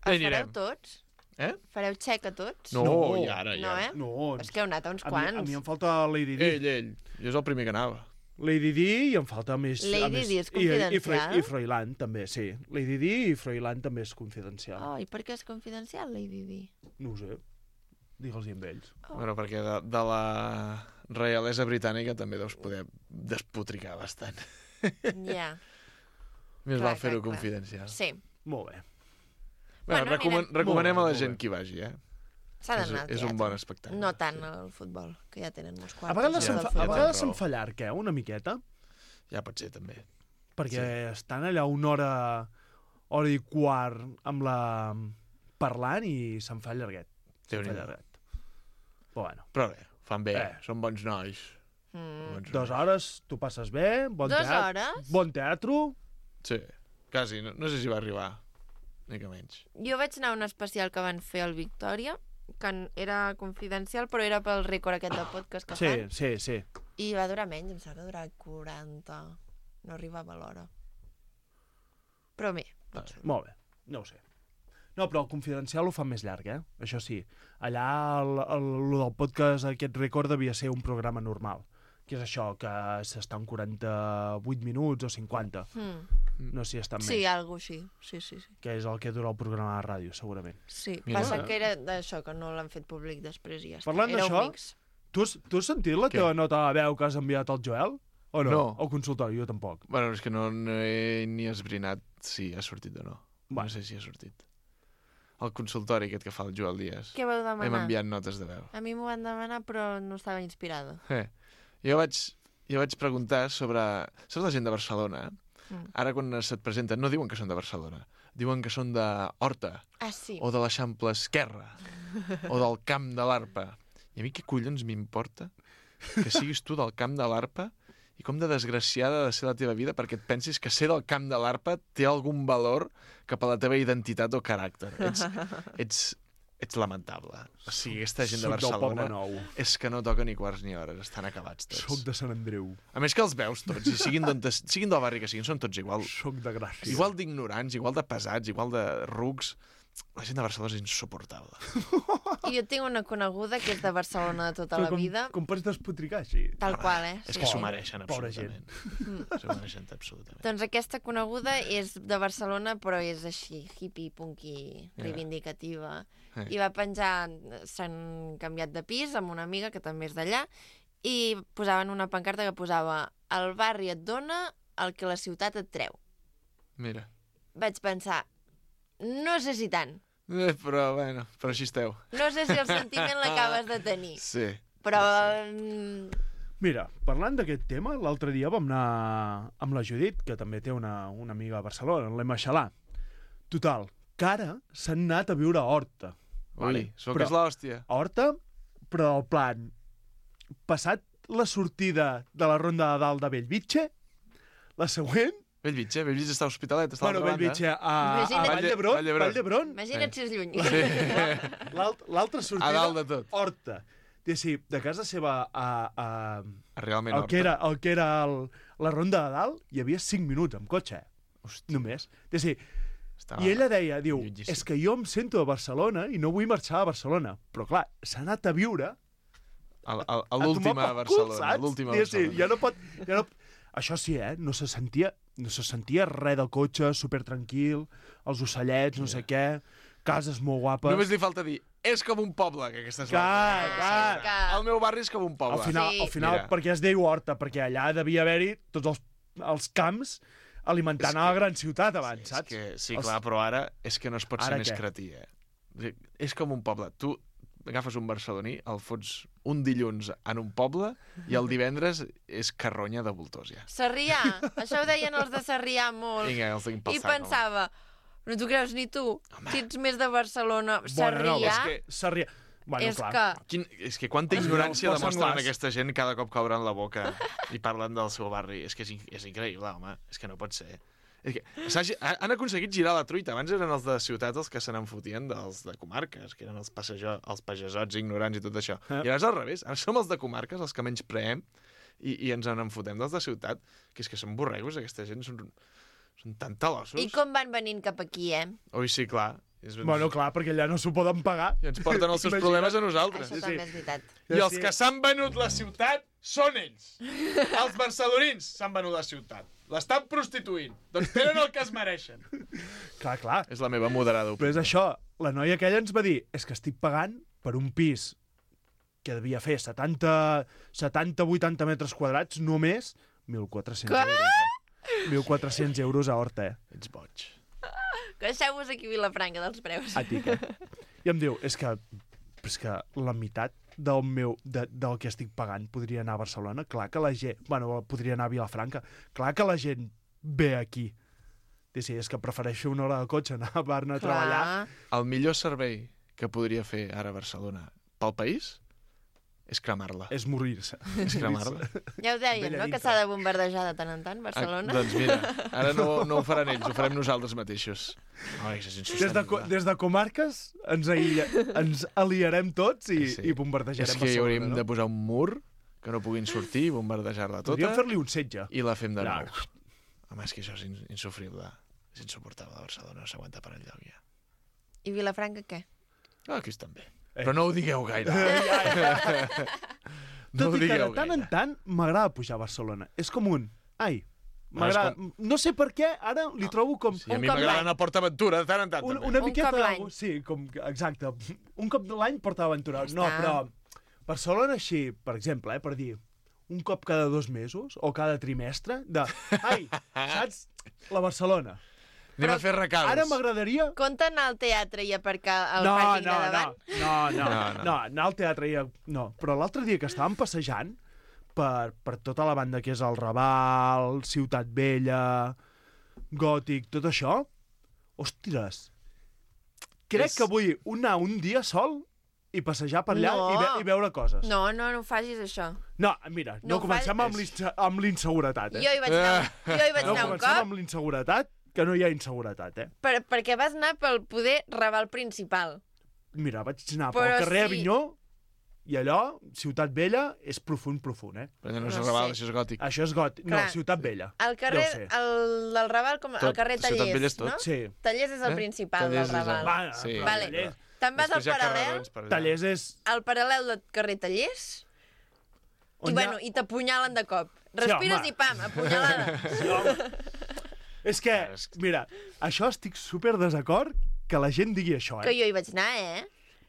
Ja Els hi fareu anirem. tots? Eh? Fareu xec a tots? No, No. i ara, ja. No, eh? No, És que heu anat a uns a mi, quants. a mi em falta Lady Di. Ell, ell. Jo és el primer que anava. Lady Di i em falta més... Lady a més, Di és i, i, Fre confidencial? I Froilán també, sí. Lady Di i Froilán també és confidencial. Oh, i per què és confidencial, Lady Di? No ho sé. Digue'ls amb ells. Oh. Bueno, perquè de, de la reialesa britànica també deus poder despotricar bastant. Ja, Més Clar, val fer-ho clar, clar. confidencial. sí. Molt bé. Bueno, Bueno, recoman anirem. recomanem Molt bé, a la molt gent bé. que hi vagi, eh? S'ha És, d'anar al és teatre. un bon espectacle. No tant al futbol, que ja tenen molts A quarts. vegades Ja, se'n ja, fa, ja a tens vegades se'n raó. fa llarg, eh? Una miqueta. Ja pot ser, també. Perquè sí. Estan allà una hora, hora i quart amb la... parlant i se'n fa llarguet. Se'n fa llarguet. Però bueno. Però bé, fan bé, Eh. són bons nois. Mm. Bons Dues nois. hores, tu passes bé, bon Dues teatre. hores? Bon teatre. Sí, quasi. No, no sé si va arribar. Una mica menys. Jo vaig anar a un especial que van fer al Victòria, que en- era confidencial, però era pel rècord aquest de podcast que Sí, fan. sí, sí. I va durar menys, em sembla que va durar quaranta. No arribava a l'hora. Però bé. Vale. Molt bé, no ho sé. No, però el confidencial ho fa més llarg, eh? Això sí. Allà el, el, el del podcast, aquest rècord, devia ser un programa normal. Que és això, que s'estan quaranta-vuit minuts o cinquanta. Mm. No sé si estan Sí, més. algo així. Sí, sí, sí. Que és el que dura el programa de ràdio, segurament. Sí, Mira. passa que era d'això, que no l'han fet públic després i ja està. Parlant Era un d'això, mix. tu has, tu has sentit la Què? teva nota de veu que has enviat al Joel? O no? No. Al consultori, jo tampoc. Bueno, és que no, no he ni esbrinat si ha sortit o no. Va. No sé si ha sortit. El consultori aquest que fa el Joel Díaz. Què vau demanar? Hem enviat notes de veu. A mi m'ho van demanar, però no estava inspirada. Eh. Jo vaig, jo vaig preguntar sobre... Saps la gent de Barcelona? Mm. Ara quan se't presenten no diuen que són de Barcelona. Diuen que són de Horta. Ah, sí. O de l'Eixample Esquerra. O del Camp de l'Arpa. I a mi què collons m'importa que siguis tu del Camp de l'Arpa i com de desgraciada ha de ser la teva vida perquè et pensis que ser del Camp de l'Arpa té algun valor cap a la teva identitat o caràcter. Ets, ets, ets lamentable. O sigui, aquesta gent de Soc del Barcelona Poble Nou. és que no toca ni quarts ni hores, estan acabats tots. Soc de Sant Andreu. A més que els veus tots, i siguin, d'on te- siguin del barri que siguin, són tots igual. Soc de Gràcia. Igual d'ignorants, igual de pesats, igual de rucs. La gent de Barcelona és insuportable. I jo tinc una coneguda que és de Barcelona de tota Però la com, vida. Com pots despotricar així? Tal qual, eh? És Sí, que s'ho sí. mereixen, Pobra absolutament. Mm. S'ho mereixen absolutament. Doncs aquesta coneguda és de Barcelona, però és així, hippie, punky, Ja. reivindicativa. Eh. I va penjar, s'han canviat de pis amb una amiga que també és d'allà, i posaven una pancarta que posava el barri et dona el que la ciutat et treu. Mira. Vaig pensar, no sé si tant. Eh, però, bueno, però així esteu. No sé si el sentiment l'acabes de tenir. Sí. Però... mm, Mira, parlant d'aquest tema, l'altre dia vam anar amb la Judit, que també té una, una amiga a Barcelona, l'Emma Xalà. Total, que ara s'han anat a viure a Horta. Ui, sóc que és l'hòstia. A Horta, però el plan, passat la sortida de la ronda de dalt de Bellvitge, la següent... Bellvitge, Bellvitge està a Hospitalet, està a Bueno, l'altra banda. Bellvitge, a, a Imagina't- Vall d'Hebron, Vall d'Hebron. Vall d'Hebron, Imagina't si és lluny. Sí. l'alt- l'altra sortida, A dalt de tot. Horta. És dir, de casa seva a, a, A realment el, que Horta. era, el que era el, la ronda de dalt, hi havia cinc minuts amb cotxe, Hòstia. només. És dir, Estava... i ella deia, diu, llunyíssim. és que jo em sento a Barcelona i no vull marxar a Barcelona. Però clar, s'ha anat a viure A, a, a a l'última tomar a pel cul, Barcelona. saps? L'última a Diguéssim, Barcelona. ja no pot... Ja no... Això sí, eh? No se sentia, no se sentia res del cotxe, super tranquil, els ocellets, no sé què, cases molt guapes. Només li falta dir, és com un poble, que aquesta és Clar, l'altra. clar. Que- El meu barri és com un poble. Al final, Sí. al final Mira. perquè es deia Horta, perquè allà devia haver-hi tots els, els camps alimentant És a la que- gran ciutat abans, És saps? que, sí, Els- clar, però ara és que no es pot ser Ara més què? cretí, eh? És com un poble. Tu agafes un barceloní, el fots un dilluns en un poble i el divendres és carronya de voltors, ja. Sarrià, això ho deien els de Sarrià molt. Vinga, els tinc pel I sac, home. pensava, no t'ho creus ni tu, si ets més de Barcelona, Bueno, no, Sarrià, és que Sarrià... Bueno, és clar. que... Quin, és que quanta És ignorància el demostren senglars. aquesta gent cada cop que obren la boca i parlen del seu barri. És que és, in- és increïble, home. És que no pot ser. És que s'ha gi- ha- han aconseguit girar la truita. Abans eren els de ciutat els que se n'enfotien dels de comarques, que eren els, passejo, els pagesots ignorants i tot això. Eh. I ara és al revés. Ara som els de comarques els que menys preem i, i ens en enfotem dels de ciutat, que és que són borregos, aquesta gent són, són tan talossos. I com van venint cap aquí, eh? Ui, sí, clar. És... Bueno, clar, perquè allà no s'ho poden pagar. I ens porten els seus Imagina't. problemes a nosaltres. Això també és veritat. I els que s'han venut la ciutat són ells. Els barcelonins s'han venut la ciutat. L'estan prostituint. Doncs tenen el que es mereixen. Clar, clar. És la meva moderada Però és això, la noia aquella ens va dir, és que estic pagant per un pis que devia fer setanta vuitanta metres quadrats, només mil quatre-cents Què? euros. Eh? mil quatre-cents euros a Horta, eh? Ets boig. Deixeu-vos aquí Vilafranca dels preus. A tic, eh? I em diu, és que però és que la meitat del meu, de, del que estic pagant podria anar a Barcelona. Clar que la gent... Bueno, podria anar a Vilafranca. Clar que la gent ve aquí. I sí, és que prefereixo una hora de cotxe anar a Barna a treballar. El millor servei que podria fer ara Barcelona pel país és cremar-la. És morir-se. És cremar-la. Ja ho deien, no?, que s'ha de bombardejar de tant en tant, Barcelona. Ah, doncs mira, ara no, no ho faran ells, ho farem nosaltres mateixos. Ai, és des, de, des de comarques ens, aïlla, ens aliarem tots i, sí. i bombardejarem Barcelona. És que hi hauríem no? de posar un mur que no puguin sortir i bombardejar-la tota. Podríem fer-li un setge. I la fem de nou. No. Home, és que això és insufrible. És insuportable. Barcelona no s'aguanta per enlloc ja. I Vilafranca què? Ah, aquí estan bé. Eh. Però no ho digueu gaire. No Tot i que de tant gaire. en tant m'agrada pujar a Barcelona. És com un... Ai, m'agrada... Com... No sé per què, ara li trobo com... Sí, a mi m'agrada anar a PortAventura de tant en tant. Un, també. Una un miqueta... cop l'any. Sí, com... exacte. Un cop de l'any PortAventura. No, però Barcelona així, per exemple, eh, per dir, un cop cada dos mesos o cada trimestre de... Ai, saps? La Barcelona. Anem però a fer recals. Ara m'agradaria... Compte anar al teatre i aparcar el no, pàrquing no, de davant? No, no, no, no, no, no, anar al teatre i... No, però l'altre dia que estàvem passejant per, per tota la banda que és el Raval, Ciutat Vella, Gòtic, tot això, ostres, crec és... que vull anar un dia sol i passejar per allà no. i, ve i veure coses. No, no, no facis això. No, mira, no, no comencem amb l'inseguretat, eh? Jo hi vaig anar, jo hi vaig no anar un cop. No comencem amb l'inseguretat, que no hi ha inseguretat, eh? Per, perquè vas anar pel poder Raval principal. Mira, vaig anar Però pel carrer sí. Avinyó i allò, Ciutat Vella, és profund, profund, eh? Però no és no Raval, sé. Això és gòtic. Això és gòtic. Clar. No, Ciutat Vella. El carrer, el del Raval, com tot. El carrer Tallers, tot. no? Sí. Tallers és el eh? principal Tallers del Raval. Va, sí. Vale. Te'n vas al paral·lel. Tallers és... Al paral·lel del carrer Tallers. I, bueno, ha... i t'apunyalen de cop. Respires sí, i pam, apunyalada. Sí, home. És que, mira, això estic super desacord que la gent digui això, eh? Que jo hi vaig anar, eh?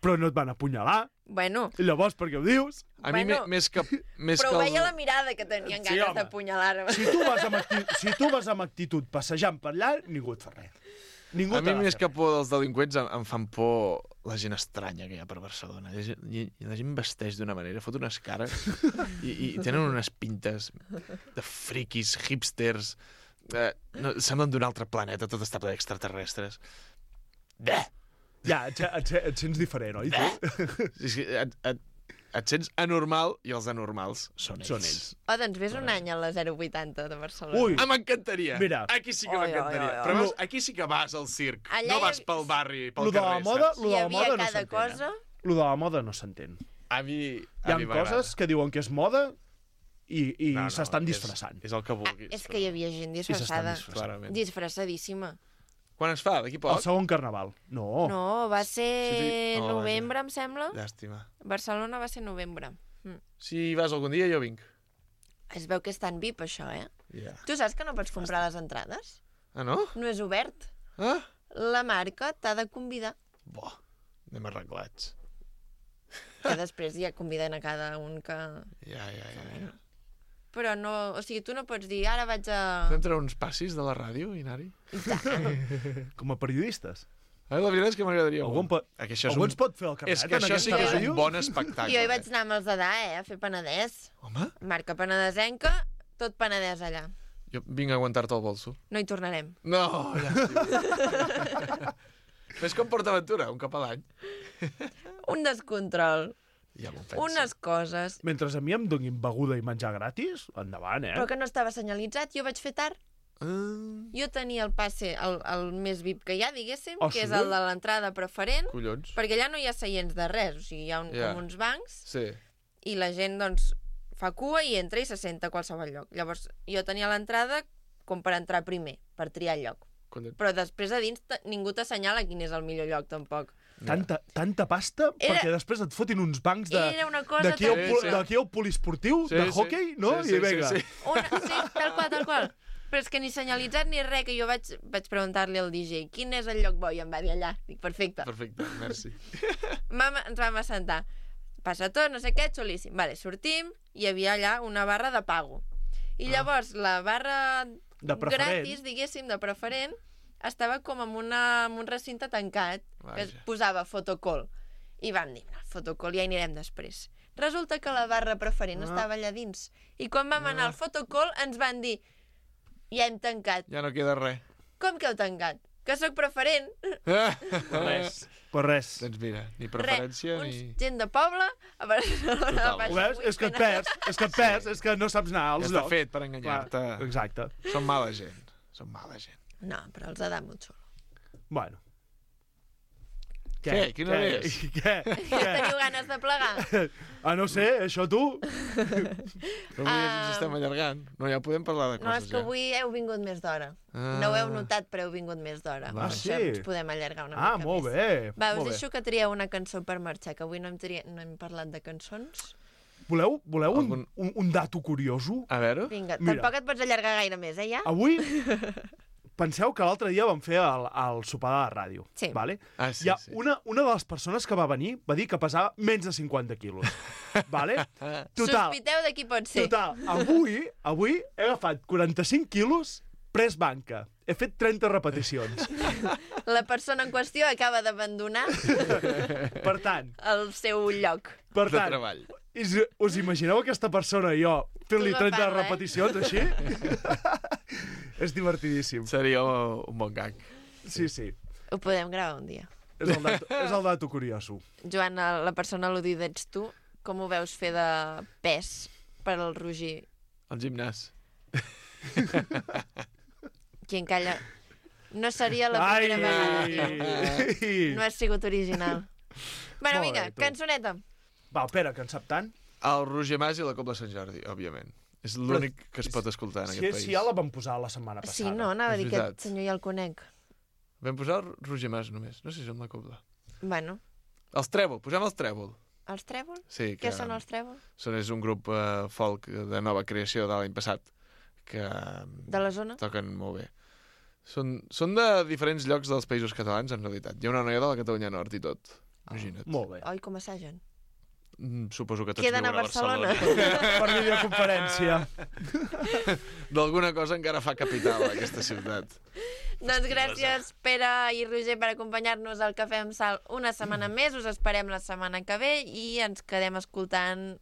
Però no et van apunyalar. Bueno. I llavors, per què ho dius? A mi bueno, més que... Més però que el... veia la mirada que tenien ganes sí, d'apunyalar-me. Si tu vas amb actitud, si tu vas amb actitud passejant per allà, ningú et fa res. Ningú a mi més que por dels delinqüents em, em fan por la gent estranya que hi ha per Barcelona. I, i, i la gent vesteix d'una manera, fot unes cares i, i tenen unes pintes de friquis, hipsters... Eh, no, semblen d'un altre planeta, tot està ple d'extraterrestres. Bé! Ja, et, et, et sents diferent, oi? És que et, et, et sents anormal i els anormals són ells. Són ells. Oh, doncs vés un any a la zero vuitanta de Barcelona. Ui! Ah, m'encantaria! Mira. Aquí sí que m'encantaria. Però veus, aquí sí que vas al circ. Allà no vas pel barri, pel lo carrer, moda, saps? Lo de la moda no s'entén. Cosa... Eh? Lo de la moda no s'entén. A mi Hi ha coses que diuen que és moda i, i no, no, s'estan disfressant. És, és el que vulguis. Ah, és que hi havia gent disfressada. Disfressant. Disfressadíssima. Quan es fa? D'aquí poc? El segon carnaval. No. No, va ser sí, sí. Oh, novembre, vaja. em sembla. Llàstima. Barcelona va ser novembre. Mm. Si vas algun dia, jo vinc. Es veu que és tan V I P, això, eh? Yeah. Tu saps que no pots comprar les entrades? Ah, no? No és obert. Ah? La marca t'ha de convidar. Bo, anem arreglats. Que després ja conviden a cada un que... Ja, ja, ja. ja. Però no... O sigui, tu no pots dir, ara vaig a... Podem treure uns passis de la ràdio, Inari? I tant. Com a periodistes. Ah, la veritat és que m'agradaria Algun pot... Algú un... ens pot fer el carnet és que en això sí que ràdio? és un bon espectacle. Jo hi vaig anar amb els d'Adà, eh, a fer Penedès. Home? Marca penedesenca, tot Penedès allà. Jo vinc a aguantar-te el bolso. No hi tornarem. No, llàstima. Ves com PortAventura, un cop a l'any. Un descontrol. Ja m'ho penso. Unes coses. Mentre a mi em donin beguda i menjar gratis, endavant, eh? Però que no estava senyalitzat, jo vaig fer tard. Uh... Jo tenia el passe, el, el més V I P que hi ha, diguéssim, oh, que sí? és el de l'entrada preferent. Collons. Perquè allà no hi ha seients de res, o sigui, hi ha un, yeah. com uns bancs, sí. i la gent, doncs, fa cua i entra i se senta a qualsevol lloc. Llavors, jo tenia l'entrada com per entrar primer, per triar el lloc. Collons. Però després a dins ningú t'assenyala quin és el millor lloc, tampoc. Tanta, tanta pasta era... perquè després et fotin uns bancs de... Era una cosa d'aquí al, sí, sí. d'aquí al poliesportiu, sí, de sí. hockey, no? Sí, sí, I vinga. sí, sí. Una... sí, tal qual, tal qual. Però és que ni senyalitzat ni res, que jo vaig, vaig preguntar-li al D J quin és el lloc bo, i em va dir allà. Dic, perfecte. Perfecte, merci. Vam, ens vam assentar. Passa tot, no sé què, xulíssim. Vale, sortim, hi havia allà una barra de pago. I llavors ah. la barra gratis, diguéssim, de preferent, estava com en, una, en un recinte tancat, Vaja. que es posava fotocall. I vam dir, no, fotocall, ja hi anirem després. Resulta que la barra preferent Ah. estava allà dins. I quan vam anar al fotocall ens van dir, ja hem tancat. Ja no queda res. Com que heu tancat? Que sóc preferent. Res. Pues res. Doncs mira, ni preferència Re, ni... uns gent de poble a Barcelona. Total. baix Ho veus? És que et perds, és que et perds, és que no saps anar als Ja està llocs. fet per enganyar-te. Clar, exacte. Són mala gent. Són mala gent. No, però els ha dat molt xulo. Bueno. Què? Quina és? Què? Ja teniu ganes de plegar? Ah, no sé, això tu? Però avui ens estem allargant. No, ja podem parlar de coses, No, és que ja. avui heu vingut més d'hora. Ah. No ho heu notat, però heu vingut més d'hora. Ah, Per sí? això ens podem allargar una Ah, mica molt més. bé. Va, us molt bé. deixo que trieu una cançó per marxar, que avui no hem, tri... no hem parlat de cançons. Voleu, voleu un, Algun- un, un dato curioso? A veure? Vinga, Mira. tampoc et pots allargar gaire més, eh, ja? Avui, penseu que l'altre dia vam fer el, el sopar de la ràdio. Sí. Vale? Ah, sí, Hi ha sí. una, una de les persones que va venir va dir que pesava menys de cinquanta quilos. Vale? Total, Sospiteu de qui pot ser. total. Avui, avui he agafat quaranta-cinc quilos press banca. He fet trenta repeticions. La persona en qüestió acaba d'abandonar Per tant, el seu lloc. per De tant, treball. is, us imagineu aquesta persona i jo fent-li Tu trenta agafant-la, eh? repeticions així? És divertidíssim. Seria un bon gag. Sí, sí. Ho podem gravar un dia. És el dato, és el dato curioso. Joan, la persona al·ludida ets tu. Com ho veus fer de pes per al Roger? Al gimnàs. Qui en calla... No seria la Ai! primera vegada. No has sigut original. Bueno, Molt vinga, bé, tu. cançoneta. Va, Pere, que en sap tant. El Roger Mas i la Cobla Sant Jordi, òbviament. És l'únic que es pot escoltar en Si, aquest país. si ja la vam posar la setmana passada. Sí, no, anava a És dir que veritat. aquest senyor ja el conec. Vam posar el Roger Mas només. No sé si amb la Cobla. Bueno, Els Trèvol, posem els Trèvol. els Trèvol? Sí, que Què són els Trèvol? són, és un grup eh, folk de nova creació de l'any passat que De la zona? toquen molt bé. Són, són de diferents llocs dels països catalans, en realitat. Hi ha una noia de la Catalunya Nord i tot. Imagina't. Molt bé. Oi, com assagen? Mm, Suposo que tots Queden a viuen a Barcelona. Barcelona. Per videoconferència. D'alguna cosa encara fa capital, aquesta ciutat. Doncs gràcies, Pere i Roger, per acompanyar-nos al Cafè amb Sal una setmana més. Us esperem la setmana que ve i ens quedem escoltant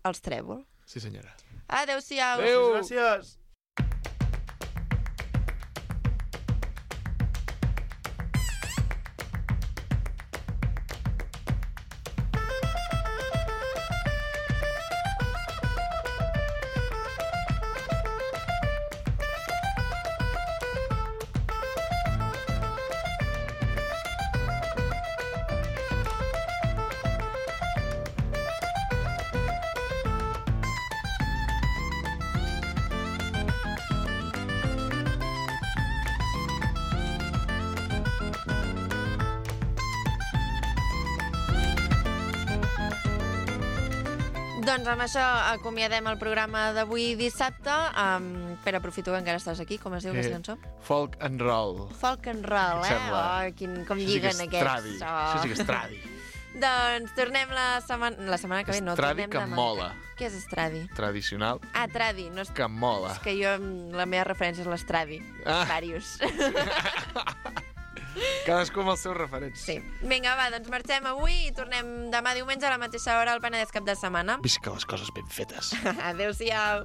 els Trèvol. Sí, senyora. Adéu-siau. Adéu. Gràcies. Doncs amb això acomiadem el programa d'avui dissabte. Um, Pere, aprofito que encara estàs aquí. Com es diu Eh, aquesta cançó? Folk and roll. Folk and roll, eh? Sembla. Oh, quin, com Això sí que lliguen és aquests. tradi. Això sí que és tradi. Doncs tornem la setmana, la setmana que ve. No, Estradi tornem que demà. mola. Què és estradi? Tradicional Ah, tradi. No és... que mola. és que jo, la meva referència és l'estradi. Ah. Vàrius. Cadascú amb els seus referents. Sí. Vinga, va, doncs marxem avui i tornem demà diumenge a la mateixa hora al Penedès cap de setmana. Visca les coses ben fetes. Adéu-siau.